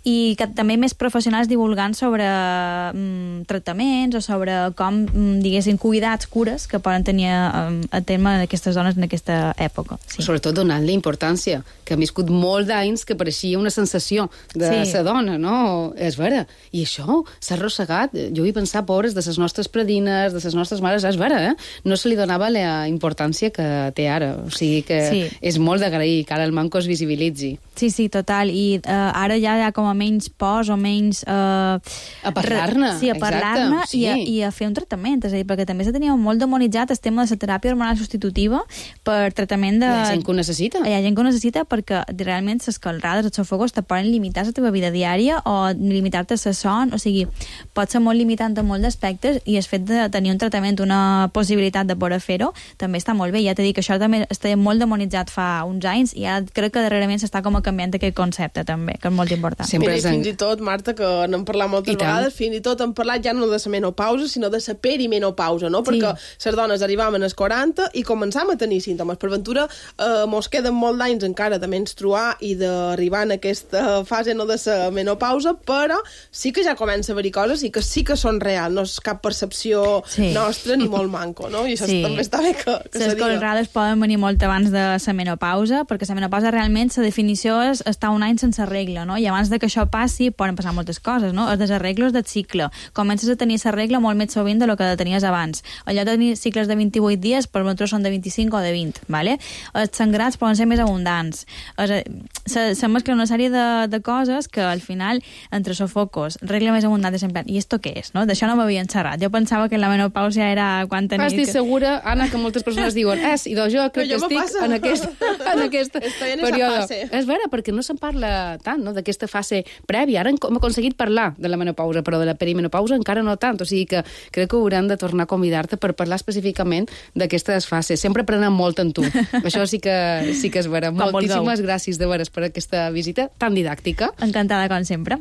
S17: i que també més professionals divulgant sobre mm, tractaments o sobre com, mm, diguéssim, cuidats, cures que poden tenir um, a terme aquestes dones en aquesta època. Sí.
S4: Sobretot donant-li importància, que han viscut molt d'anys que pareixia una sensació de sí. sa dona, no? És vera. I això s'ha arrossegat. Jo hi pensar, pobres, de les nostres predines, de les nostres mares, és vera, eh? No se li donava la importància que té ara. O sigui que sí. és molt d'agrair que ara el manco es visibilitzi.
S17: Sí, sí, total. I uh, ara ja hi ha com a menys pors o menys... Uh,
S4: a parlar-ne.
S17: Sí, a parlar-ne sí. i, i a fer un tractament. És a dir, perquè també se tenia molt demonitzat el tema de la teràpia hormonal substitutiva per tractament de...
S4: Hi ha gent que ho necessita.
S17: Hi ha gent que ho necessita perquè realment les calrades, els sofocos, te poden limitar la teva vida diària o limitar-te la son. O sigui, pot ser molt limitant en molts aspectes i el fet de tenir un tractament, una possibilitat de poder fer-ho, també està molt bé. Ja t'he dit que això també estava molt demonitzat fa uns anys i ara crec que darrerament s'està com a canviant aquest concepte també, que és molt important.
S16: Sempre Mira, fins i tot, Marta, que n'hem parlat moltes vegades, fins i tot hem parlat ja no de la menopausa, sinó de la perimenopausa, no? Sí. Perquè les dones arribaven als quaranta i començàvem a tenir símptomes. Per ventura, eh, mos queden molt d'anys encara de menstruar i d'arribar en aquesta fase no de la menopausa, però sí que ja comença a haver-hi coses i que sí que són reals, no és cap percepció sí. nostra ni molt manco, no? I això sí. també està bé que, que se diga.
S17: Les colrades poden venir molt abans de la menopausa, perquè la menopausa realment, la definició és estar un any sense regla, no? I abans de que això passi, poden passar moltes coses, no? Els desarreglos del cicle. Comences a tenir la regla molt més sovint del que tenies abans. Allò de tenir cicles de vint-i-vuit dies, per nosaltres són de vint-i-cinc o de vint, ¿vale? Els sangrats poden ser més abundants. Se, se mescla una sèrie de, de coses que, al final, entre sofocos, regla més abundant de sempre. I esto què és, no? D'això no m'havien xerrat. Jo pensava que la menopausia era quan tenia...
S4: Estic segura, Anna, que moltes persones diuen és, i doncs jo crec que estic en aquest, en aquest període. És vera, perquè no se'n parla tant, no?, d'aquesta fase prèvia. Ara hem aconseguit parlar de la menopausa, però de la perimenopausa encara no tant. O sigui que crec que haurem de tornar a convidar-te per parlar específicament d'aquestes fases. Sempre aprenem molt en tu. Això sí que, sí que és vera. Com Moltíssimes gràcies, de veres, per aquesta visita tan didàctica.
S17: Encantada, com sempre.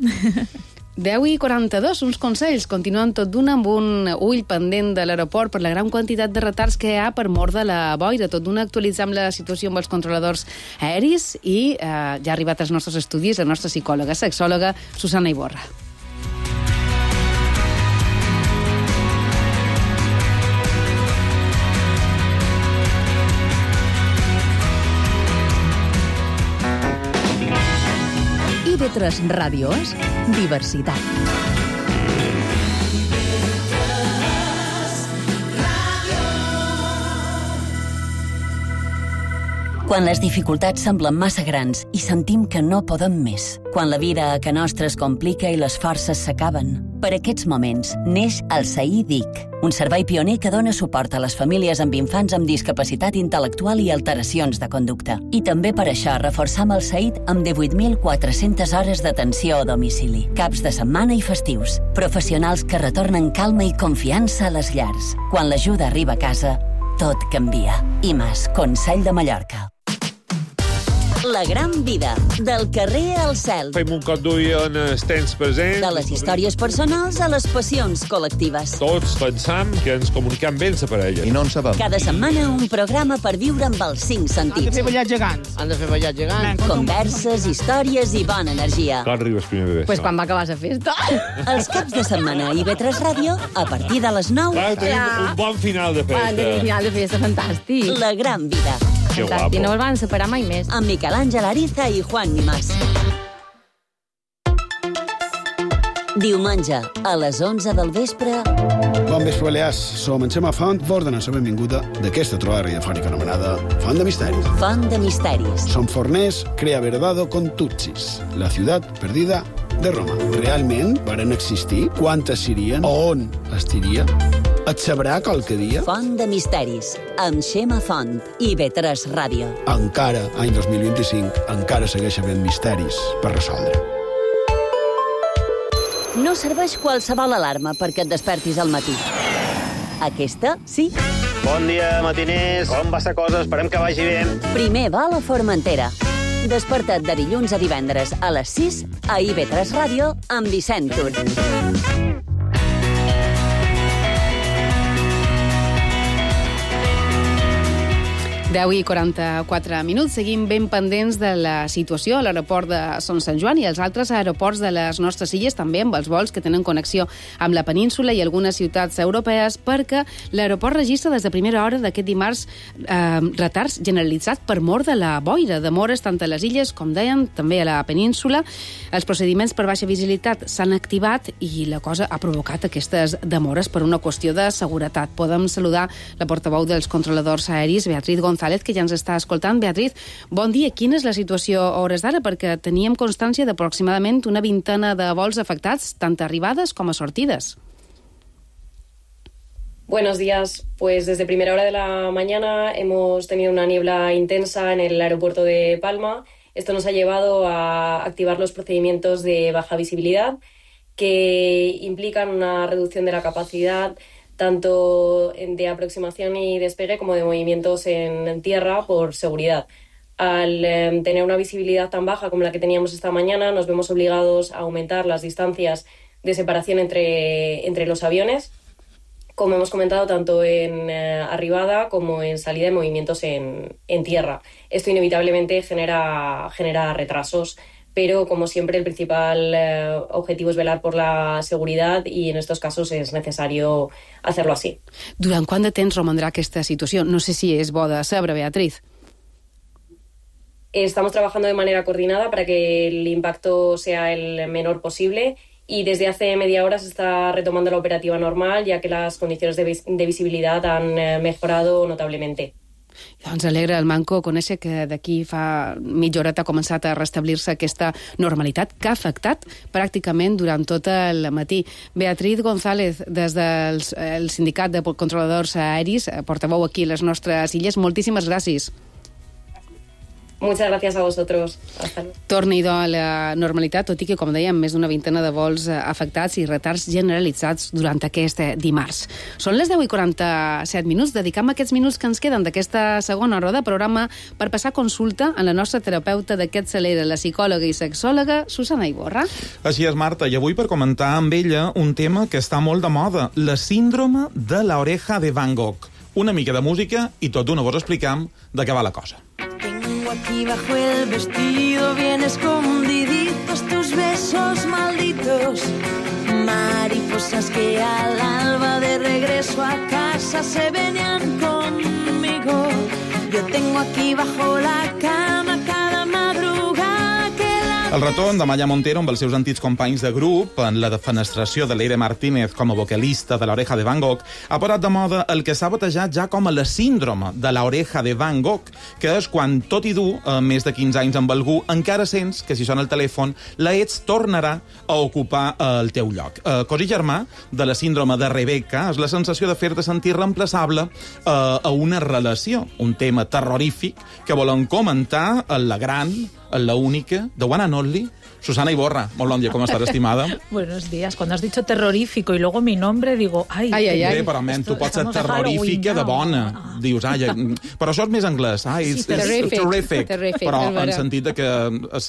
S4: deu i quaranta-dos, uns consells. Continuem tot d'una amb un ull pendent de l'aeroport per la gran quantitat de retards que hi ha per mort de la boira. Tot d'una actualitzam la situació amb els controladors aeris i eh, ja ha arribat als nostres estudis la nostra psicòloga, sexòloga, Susana Iborra.
S2: I ve tres Ràdios, diversitat.
S3: Quan les dificultats semblen massa grans i sentim que no podem més. Quan la vida a ca nostra es complica i les forces s'acaben. Per aquests moments neix el S A I D I C, un servei pioner que dona suport a les famílies amb infants amb discapacitat intel·lectual i alteracions de conducta. I també per això reforçam el S A I D amb divuit mil quatre-centes hores d'atenció a domicili, caps de setmana i festius. Professionals que retornen calma i confiança a les llars. Quan l'ajuda arriba a casa, tot canvia. I més, Consell de Mallorca. La gran vida, del carrer al cel.
S18: Fem un cop d'ull en els temps presents.
S3: De les històries personals a les passions col·lectives.
S18: Tots pensam que ens comunicam bé la parella. I no en sabem.
S3: Cada setmana un programa per viure amb els cinc sentits.
S19: Han de fer ballar gegants. Han de fer ballar gegants.
S3: Converses, històries i bona energia.
S18: Quan arriba el primer bebè?
S19: Pues quan va acabar la festa.
S3: Els caps de setmana a I V tres Ràdio, a partir de les nou.
S18: Clar, tenim un bon final de festa.
S19: Un final de festa fantàstic.
S3: La gran vida.
S18: Que guapo.
S19: I no el van separar mai més.
S3: Amb Miquel Àngel Ariza i Juan Nimás. Diumenge, a les onze del vespre...
S20: Bon vespre, Balears. Som en Xema Font, vos donem la benvinguda d'aquesta trobada radiofònica anomenada Font de Misteris.
S3: Font de Misteris.
S20: Som forners, crea verdado con Tutsis, la ciutat perdida de Roma. Realment varen existir? Quantes serien? On estiria? Et sabrà qualque dia?
S3: Font de Misteris, amb Xema Font i I V tres Ràdio.
S20: Encara, any dos mil vint-i-cinc, encara segueix havent misteris per resoldre.
S3: No serveix qualsevol alarma perquè et despertis al matí. Aquesta, sí.
S21: Bon dia, matiners. Com va la cosa? Esperem que vagi bé.
S3: Primer va a la Formentera. Desperta't de dilluns a divendres a les sis a I V tres Ràdio amb Vicent Tur.
S4: deu i quaranta-quatre minuts. Seguim ben pendents de la situació a l'aeroport de Son Sant Joan i als altres aeroports de les nostres illes, també amb els vols que tenen connexió amb la península i algunes ciutats europees, perquè l'aeroport registra des de primera hora d'aquest dimarts eh, retards generalitzats per mort de la boira, demores tant a les illes, com deien, també a la península. Els procediments per baixa visibilitat s'han activat i la cosa ha provocat aquestes demores per una qüestió de seguretat. Podem saludar la portaveu dels controladors aeris, Beatriz González, que ja ens està escoltant. Beatriz, bon dia. Quina és la situació a hores d'ara? Perquè teníem constància d'aproximadament una vintena de vols afectats, tant arribades com a sortides.
S22: Buenos días. Pues desde primera hora de la mañana hemos tenido una niebla intensa en el aeropuerto de Palma. Esto nos ha llevado a activar los procedimientos de baja visibilidad que implican una reducción de la capacidad tanto de aproximación y despegue como de movimientos en tierra por seguridad. Al eh, tener una visibilidad tan baja como la que teníamos esta mañana, nos vemos obligados a aumentar las distancias de separación entre, entre los aviones, como hemos comentado, tanto en eh, arribada como en salida de movimientos en, en tierra. Esto inevitablemente genera, genera retrasos, pero como siempre el principal eh, objetivo es velar por la seguridad y en estos casos es necesario hacerlo así.
S4: Durant quant de temps romandrà aquesta situació? No sé si és bo de saber, Beatriz.
S22: Estamos trabajando de manera coordinada para que el impacto sea el menor posible y desde hace media hora se está retomando la operativa normal, ya que las condiciones de, vis- de visibilidad han eh, mejorado notablemente.
S4: Doncs alegra el Manco conèixer que d'aquí fa mitja horeta ha començat a restablir-se aquesta normalitat que ha afectat pràcticament durant tot el matí. Beatriz González, des del el Sindicat de Controladors Aeris, portaveu aquí a les nostres illes, moltíssimes gràcies.
S22: Muchas gracias a vosotros. Hasta luego.
S4: Torni-hi a la normalitat, tot i que, com dèiem, més d'una vintena de vols afectats i retards generalitzats durant aquest dimarts. Són les deu i quaranta-set minuts. Dedicam aquests minuts que ens queden d'aquesta segona hora de programa per passar consulta a la nostra terapeuta d'aquest celera, la psicòloga i sexòloga Susana Iborra.
S23: Així és, Marta, i avui per comentar amb ella un tema que està molt de moda, la síndrome de la oreja de Van Gogh. Una mica de música i tot d'una vos explicam de què va la cosa.
S24: Aquí bajo el vestido bien escondiditos tus besos malditos, mariposas que al alba de regreso a casa se venían conmigo. Yo tengo aquí bajo la cama cada madrugada que la...
S23: El retorn de Maya Montero amb els seus antics companys de grup en la defenestració de Leire Martínez com a vocalista de l'Oreja de Van Gogh ha posat de moda el que s'ha batejat ja com a la síndrome de l'Oreja de Van Gogh, que és quan, tot i dur eh, més de quinze anys amb algú, encara sents que si sona el telèfon la ets tornarà a ocupar eh, el teu lloc. Eh, cosí germà de la síndrome de Rebecca és la sensació de fer-te sentir reemplaçable eh, a una relació, un tema terrorífic que volen comentar en la gran, en la única, the one and only, Susana Iborra. Molt bon dia, com estàs, estimada?
S5: Buenos días. Cuando has dicho terrorífico y luego mi nombre, digo, ai...
S23: Ai, ai, ai. Bé, però, men, tu pots ser terrorífica de bona. Ah. Dius, ai, però això és més anglès. Ai,
S4: sí,
S23: it's, it's terrific.
S4: terrific.
S23: Però en sentit de que,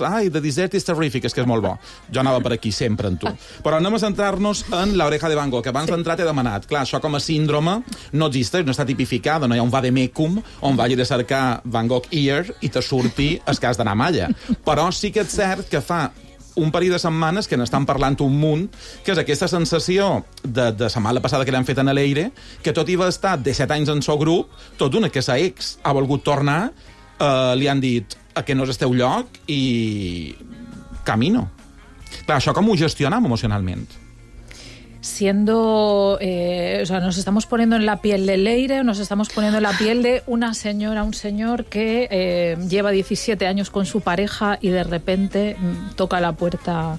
S23: ai, the dessert is terrific, és que és molt bo. Jo anava per aquí sempre en tu. Però anem a centrar-nos en l'Oreja de Van Gogh, que abans sí. d'entrar t'he demanat. Clar, això com a síndrome no existeix, no està tipificada, no hi ha un vademecum on vagi de cercar Van Gogh ear i te surti el cas d'anar a Malla. Però sí que és cert que fa un parell de setmanes que n'estan parlant un munt, que és aquesta sensació de, de setmana passada que l'han fet en l'Eire, que tot i va estar disset anys en seu grup, tot d'una que sa ex ha volgut tornar, eh, li han dit que no és el teu lloc i camino. Clar, això com ho gestionam emocionalment?
S5: Siendo, eh, o sea, nos estamos poniendo en la piel de Leire, nos estamos poniendo en la piel de una señora, un señor que eh, lleva diecisiete años con su pareja y de repente mm, toca la puerta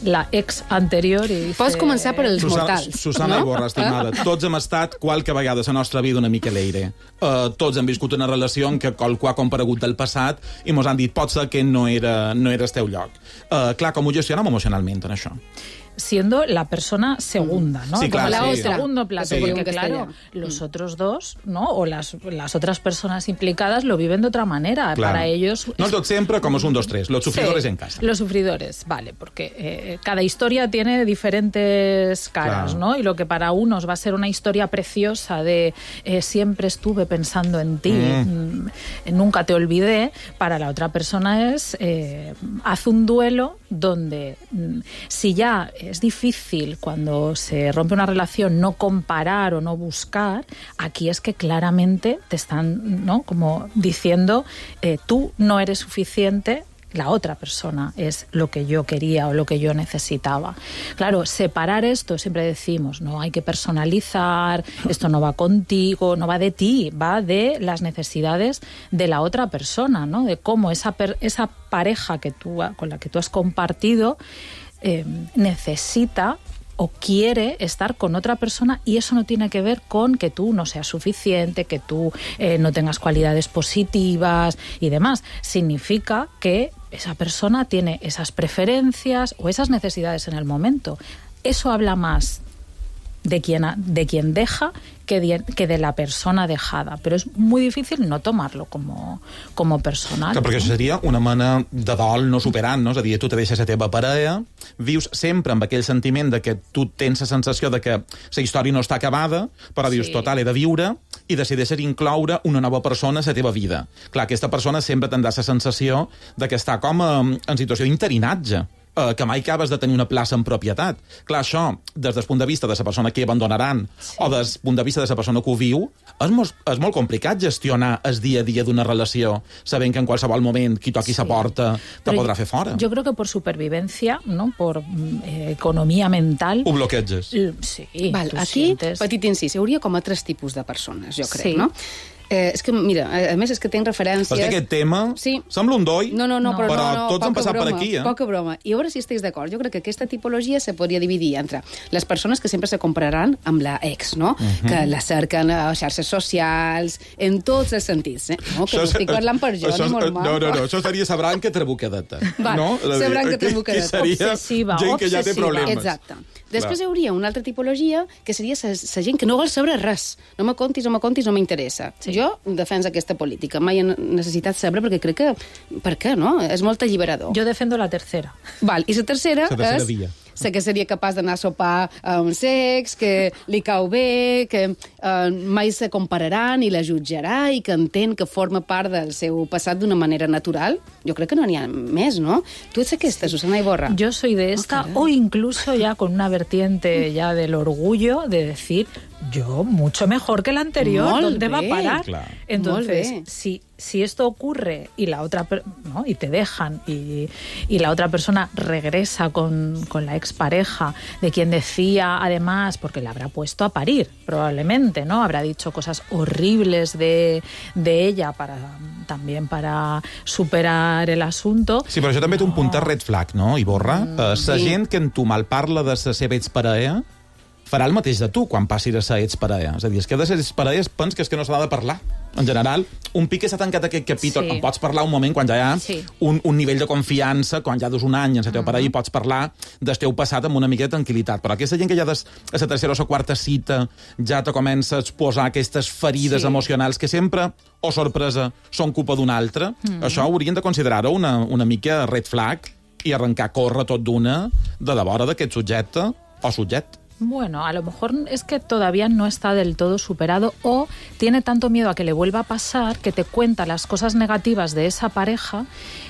S5: la ex anterior i dice...
S4: Pots començar per els
S23: Susana,
S4: mortals.
S23: Susana
S4: no?
S23: Iborra, estimada, tots hem estat qualque vegada a la nostra vida una mica Leire. Uh, tots hem viscut una relació en què qualcú ha comparegut del passat i mos han dit pot ser que no era, no era el teu lloc. Uh, clar, com ho gestionem emocionalment en això?
S5: Siendo la persona segunda, ¿no?
S23: Sí, claro,
S5: Como
S23: sí.
S5: el segundo plato,
S23: Sí.
S5: porque claro, los otros dos, ¿no? O las, las otras personas implicadas lo viven de otra manera.
S23: Claro.
S5: Para ellos...
S23: No tot sempre com es un, dos, tres. Los sufridores
S5: sí,
S23: en casa.
S5: Los sufridores, vale, porque eh, cada historia tiene diferentes caras, claro. ¿no? Y lo que para unos va a ser una historia preciosa de eh, siempre estuve pensando en ti, mm. Mm, nunca te olvidé, para la otra persona es eh, haz un duelo donde mm, si ya es difícil cuando se rompe una relación no comparar o no buscar, aquí es que claramente te están, ¿no? como diciendo eh, tú no eres suficiente, la otra persona es lo que yo quería o lo que yo necesitaba. Claro, separar esto, siempre decimos, no hay que personalizar, esto no va contigo, no va de ti, va de las necesidades de la otra persona, ¿no? De cómo esa, per- esa pareja que tú, con la que tú has compartido eh, necesita o quiere estar con otra persona, y eso no tiene que ver con que tú no seas suficiente, que tú eh, no tengas cualidades positivas y demás. Significa que esa persona tiene esas preferencias o esas necesidades en el momento. Eso habla más de quien, de quien deja que de, que de la persona dejada, però és muy difícil no tomarlo como, como personal.
S23: Clar, perquè això seria una mena de dol no superant, no? És a dir, tu te deixes la teva parella, vius sempre amb aquell sentiment de que tu tens la sensació de que la història no està acabada, però dius, sí. total, he de viure, i decideixes incloure una nova persona a la teva vida. Clar, aquesta persona sempre tindrà la sensació de que està com en situació d'interinatge, que mai acabes de tenir una plaça en propietat. Clar, això, des del punt de vista de la persona que abandonaran sí. o des del punt de vista de la persona que ho viu, és molt, és molt complicat gestionar el dia a dia d'una relació, sabent que en qualsevol moment qui toqui sí. la porta te Però podrà fer fora.
S5: Jo crec que per supervivència, no? per eh, economia mental...
S23: Ho bloqueges.
S5: Sí.
S4: Val, aquí, sientes... petit incís, hi hauria com a tres tipus de persones, jo crec, sí. no? Eh, és que, mira, a més és que tinc referències...
S23: Perquè aquest tema sí. sembla un doi,
S4: no, no, no, però,
S23: però
S4: no, no,
S23: tots han passat
S4: broma,
S23: per aquí. Eh?
S4: Poca broma. I a veure si estàs d'acord. Jo crec que aquesta tipologia se podria dividir entre les persones que sempre se compraran amb la ex, no? Uh-huh. Que la cerquen a xarxes socials, en tots els sentits, eh? No, que no estic parlant per jo,
S23: això,
S4: ni molt mal.
S23: No, no, no, això seria la branca trabucadeta.
S4: Val,
S23: no?
S4: la branca trabucadeta.
S5: Obsessiva,
S23: gent que ja té problemes.
S4: Exacte. Després hi hauria una altra tipologia que seria la gent que no vol saber res. No me contis, no me contis, no m'interessa. Sí. Jo defenso aquesta política. Mai he necessitat saber perquè crec que... Per què, no? És molt alliberador.
S5: Jo defendo la tercera.
S4: Val, i la tercera,
S23: la tercera
S4: és...
S23: via.
S4: Sé que seria capaç d'anar a sopar a un sex, que li cau bé, que eh, mai se compararan i la jutjarà i que entén que forma part del seu passat d'una manera natural. Jo crec que no n'hi ha més, ¿no? Tu ets aquesta, Susana Iborra.
S5: Yo soy de esta, oh, o incluso ya con una vertiente ya del orgullo de decir, yo mucho mejor que el anterior.
S4: Molt
S5: ¿Dónde
S4: bé.
S5: va a parar?
S23: Clar.
S5: Entonces,
S4: Molt bé.
S5: si, si esto ocurre y la otra per- ¿no? y te dejan y, y la otra persona regresa con, con la expareja de quien decía, además, porque la habrá puesto a parir, probablemente, ¿no? Habrá dicho cosas horribles de, de ella para también para superar el asunto.
S23: Sí, però això també té un punt de red flag, no, Iborra? Mm, uh, la
S5: sí.
S23: gent que en tu mal parla de la seva exparella farà el mateix de tu quan passi de ser exparella. És a dir, és que de ser exparella es pensa que és que no s'ha de parlar. En general, un pic que s'ha tancat aquest capítol,
S5: Sí.
S23: en pots parlar un moment quan ja hi ha
S5: Sí.
S23: un, un nivell de confiança, quan ja dus un any en la teva
S5: Mhm.
S23: parella i pots parlar del teu passat amb una mica de tranquil·litat. Però aquesta gent que ja des, a la tercera o la quarta cita ja te comença a exposar aquestes ferides
S5: Sí.
S23: emocionals que sempre, o sorpresa, són culpa d'un altre,
S5: Mhm.
S23: això haurien de considerar-ho una, una mica red flag i arrencar a córrer tot d'una de la vora d'aquest subjecte o subjecte.
S5: Bueno, a lo mejor es que todavía no está del todo superado o tiene tanto miedo a que le vuelva a pasar que te cuenta las cosas negativas de esa pareja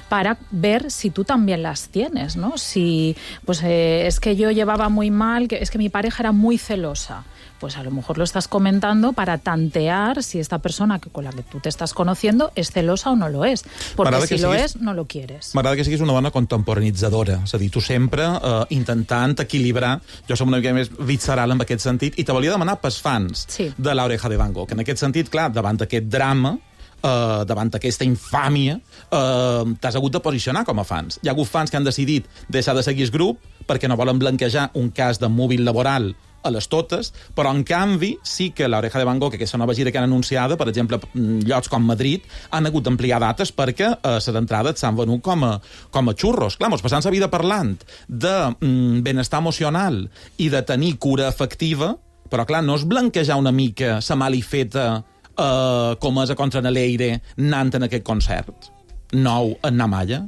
S5: para ver si tú también las tienes, ¿no? Si, pues eh, es que yo llevaba muy mal, que es que mi pareja era muy celosa. Pues a lo mejor lo estás comentando para tantear si esta persona que, con la que tú te estás conociendo es celosa o no lo es. Porque
S23: M'agrada
S5: si
S23: que
S5: lo
S23: siguis-
S5: es, no lo quieres.
S23: M'agrada que siguis una dona contemporanitzadora, és a dir, tu sempre eh, intentant equilibrar, jo som una mica més visceral en aquest sentit, i te volia demanar pels fans
S5: Sí.
S23: de l'Oreja de Van Gogh. En aquest sentit, clar, davant d'aquest drama, eh, davant d'aquesta infàmia, eh, t'has hagut de posicionar com a fans. Hi ha hagut fans que han decidit deixar de seguir el grup perquè no volen blanquejar un cas de mòbil laboral a les totes, però en canvi sí que l'Oreja de Van Gogh, que aquesta nova gira que han anunciada, per exemple, llocs com Madrid, han hagut d'ampliar dates perquè eh, les entrades s'han venut com a, com a xurros. Clar, mos passant la vida parlant de mm, benestar emocional i de tenir cura afectiva, però clar, no és blanquejar una mica la malifeta eh, com és a Contraneleire anant en aquest concert nou en Namalla?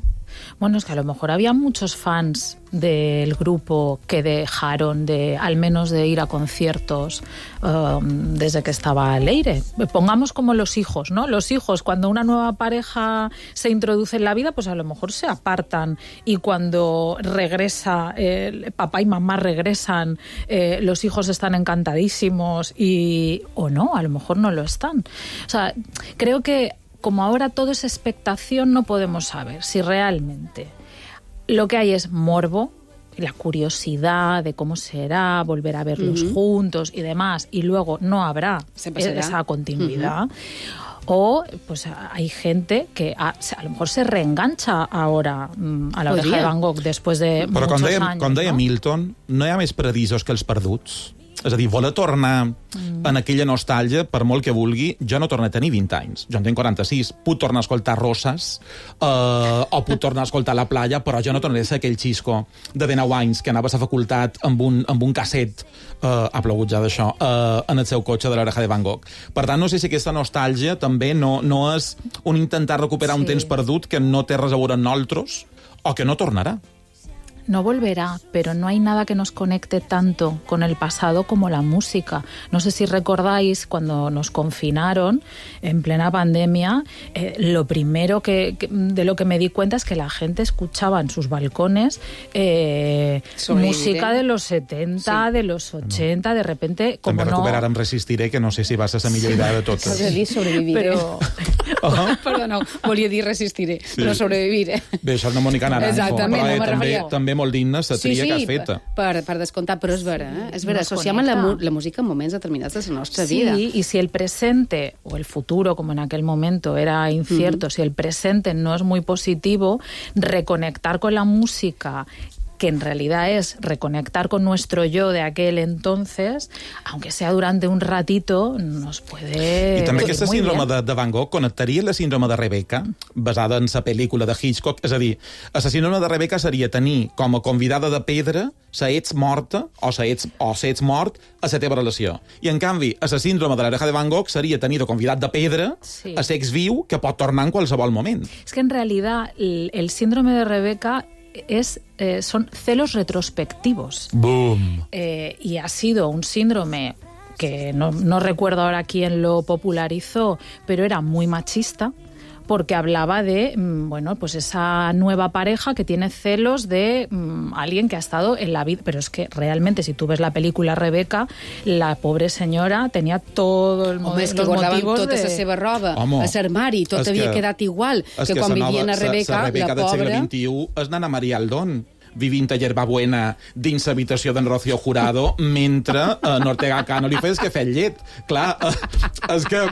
S5: Bueno, es que a lo mejor había muchos fans del grupo que dejaron de, al menos de ir a conciertos um, desde que estaba Leire. Pongamos como los hijos, ¿no? Los hijos, cuando una nueva pareja se introduce en la vida, pues a lo mejor se apartan y cuando regresa, eh, papá y mamá regresan, eh, los hijos están encantadísimos y, o no, a lo mejor no lo están. O sea, creo que como ahora todo es expectación, no podemos saber si realmente lo que hay es morbo, la curiosidad de cómo será, volver a verlos
S4: Uh-huh.
S5: juntos y demás, y luego no habrá
S4: Se pasará.
S5: esa continuidad. O pues hay gente que a, a lo mejor se reengancha ahora mm, a la Oreja
S4: Podria.
S5: de Van Gogh después de
S23: Però com
S5: muchos
S23: deia,
S5: años.
S23: com deia
S5: ¿no?
S23: Milton, no hi ha més paradisos que els perduts. És a dir, voler tornar mm. en aquella nostàlgia, per molt que vulgui, jo no torno a tenir vint anys. Jo en tinc quaranta-sis. Puc tornar a escoltar Roses eh, o puc tornar a escoltar La Playa, però jo no tornaré a ser aquell xisco de dinou anys que anava a la facultat amb un, amb un casset, eh, ha plogut ja d'això, eh, en el seu cotxe de l'Oreja de Van Gogh. Per tant, no sé si aquesta nostàlgia també no, no és un intentar recuperar
S5: Sí.
S23: un temps perdut que no té res a veure amb nosaltres o que no tornarà.
S5: No volverá, pero no hay nada que nos conecte tanto con el pasado como la música. No sé si recordáis cuando nos confinaron en plena pandemia, eh, lo primero que, que- de lo que me di cuenta es que la gente escuchaba en sus balcones eh,
S4: Sobrevivir,
S5: música
S4: ¿eh?
S5: de los setenta, de los ochenta, de repente, como
S23: També
S5: no...
S23: recuperar em Resistiré, que no sé si va ser la millor idea de totes.
S4: Volia dir sobreviviré.
S5: Però...
S4: Perdoneu, volia dir resistiré,
S23: Sí.
S4: però sobreviviré.
S23: Bé, això és de Mònica Naranjo,
S4: Exactament,
S23: però
S4: no
S23: eh,
S4: me
S23: també,
S4: referia.
S23: també molt digna la tria que has feta.
S4: per, per descomptar, però és vera, eh? És vera,
S5: Nos
S4: associam la, mu
S5: conecta.
S4: la música en moments determinats de la nostra
S5: Sí,
S4: vida.
S5: y si el presente o el futuro, como en aquel momento era incierto, si el presente no es muy positivo, reconectar con la música, que en realidad es reconectar con nuestro yo de aquel entonces, aunque sea durante un ratito, nos puede
S23: I també
S5: venir
S23: aquesta
S5: muy
S23: síndrome
S5: bien.
S23: de, de Van Gogh connectaria la síndrome de Rebecca, basada en la pel·lícula de Hitchcock. És a dir, la síndrome de Rebecca seria tenir com a convidada de pedra sa ets morta o sa ets, o sa ets mort a la teva relació. I, en canvi, a la síndrome de l'Oreja de Van Gogh seria tenir de convidat de pedra
S5: Sí.
S23: a ser exviu que pot tornar en qualsevol moment.
S5: Es que en realidad el, el síndrome de Rebeca es, eh, son celos retrospectivos.
S23: Boom.
S5: Eh, y ha sido un síndrome que no, no recuerdo ahora quién lo popularizó, pero era muy machista, porque hablaba de, bueno, pues esa nueva pareja que tiene celos de um, alguien que ha estado en la vida. Pero es que realmente, si tú ves la película Rebeca, la pobre senyora tenia tot el
S4: Home, és que guardaven tota
S5: de...
S4: la seva roba
S23: Home,
S4: a l'armari, tot
S23: és
S4: havia
S23: que-
S4: quedat igual
S23: És
S4: que quan
S23: sa
S4: vivien a
S23: sa-
S4: Rebeca,
S23: sa Rebeca
S4: la
S23: del segle
S4: pobra...
S23: vint-i-u és Nana Maria Aldón, vivint a Hierbabuena dins l'habitació d'en Rocío Jurado mentre en Ortega Cano li fes que fet llet. Clar, eh, és que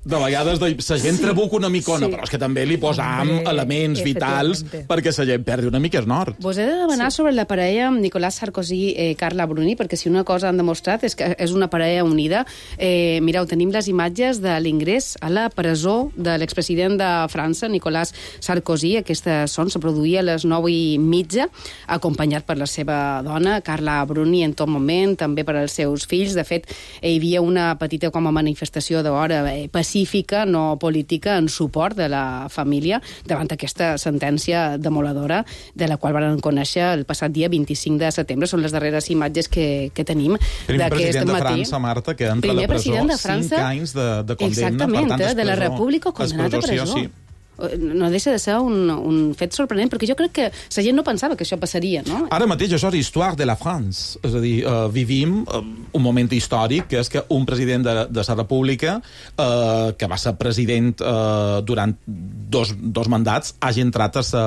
S23: de vegades la gent
S4: Sí.
S23: trabuca una micona,
S4: Sí.
S23: però és que també li posam
S4: Hombre,
S23: elements vitals
S4: efectivamente.
S23: perquè la gent perdi una mica el nord.
S4: Vos he de demanar sí. sobre la parella Nicolás Sarkozy i eh, Carla Bruni, perquè si una cosa han demostrat és que és una parella unida. Eh, mireu, tenim les imatges de l'ingrés a la presó de l'expresident de França, Nicolás Sarkozy. Aquesta son se produïa a les nou i mitja, acompanyat per la seva dona, Carla Bruni, en tot moment, també per als seus fills. De fet, hi havia una petita com a manifestació d'hora eh, pacífica, no política, en suport de la família davant aquesta sentència demoladora de la qual van conèixer el passat dia vint-i-cinc de setembre. Són les darreres imatges que, que tenim
S23: Primer
S4: d'aquest
S23: president de
S4: matí.
S23: França, Marta, que entra
S4: Primer
S23: a la presó,
S4: president de França,
S23: cinc anys de, de condemna.
S4: exactament,
S23: per tant,
S4: eh, de la
S23: presó-
S4: República condemnat a presó.
S23: Sí.
S4: No deixa de ser un, un fet sorprenent, perquè jo crec que la gent no pensava que això passaria, no?
S23: Ara mateix això és Histoire de la France. És a dir, uh, vivim uh, un moment històric, que és que un president de, de la República, uh, que va ser president uh, durant dos, dos mandats, hagi entrat a sa,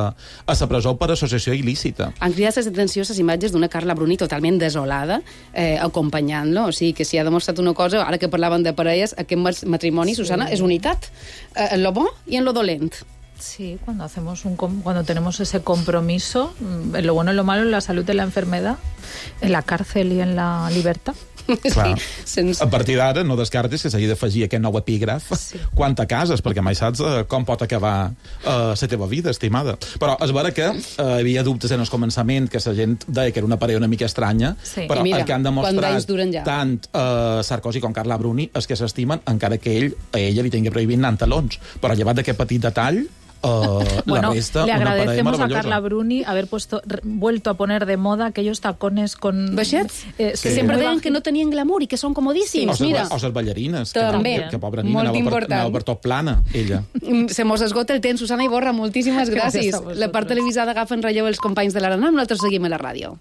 S23: a sa presó per associació il·lícita.
S4: Han cridat l'atenció les imatges d'una Carla Bruni totalment desolada, eh, acompanyant-lo. O sigui, que si ha demostrat una cosa, ara que parlaven de parelles, aquest matrimoni, sí. Susana, és unitat. Eh, en lo bo i en lo dolent.
S5: Sí, cuando hacemos un com- cuando tenemos ese compromiso, mm, en lo bueno, en lo malo, en la salud, en la enfermedad, en la cárcel y en la libertad.
S23: Clar.
S4: Sí, sense...
S23: A partir d'ara no descartis que s'hagi d'afegir aquest nou epígraf sí. quan te cases, perquè mai saps uh, com pot acabar uh, la teva vida, estimada. Però és vera que uh, hi havia dubtes en el començament, que la gent deia que era una parella una mica estranya,
S4: Sí.
S23: però
S4: Mira,
S23: el que han
S4: quants anys
S23: demostrat
S4: duren ja?
S23: tant uh, Sarkozy com Carla Bruni és que s'estimen, encara que ell a ella li tingui prohibit anar amb talons. Però llevat d'aquest petit detall, Uh,
S5: Bueno,
S23: la resta,
S5: le
S23: una parella
S5: agradecemos a
S23: maravillosa.
S5: Carla Bruni haber puesto, re- vuelto a poner de moda aquellos tacones con...
S4: Baixets?
S5: Eh,
S4: Que sempre deien que no tenien glamour i que són comodíssims,
S23: O
S4: mira.
S23: les ballarines, que,
S4: També.
S23: que, que pobra nina,
S4: Molt
S23: anava per,
S4: important.
S23: anava per tot plana, ella.
S4: Se mos esgota el temps. Susana Iborra, moltíssimes
S5: Gràcies
S4: gràcies.
S5: a vosaltres.
S4: La part televisada agafa en relleu els companys de l'Arana, nosaltres seguim a la ràdio.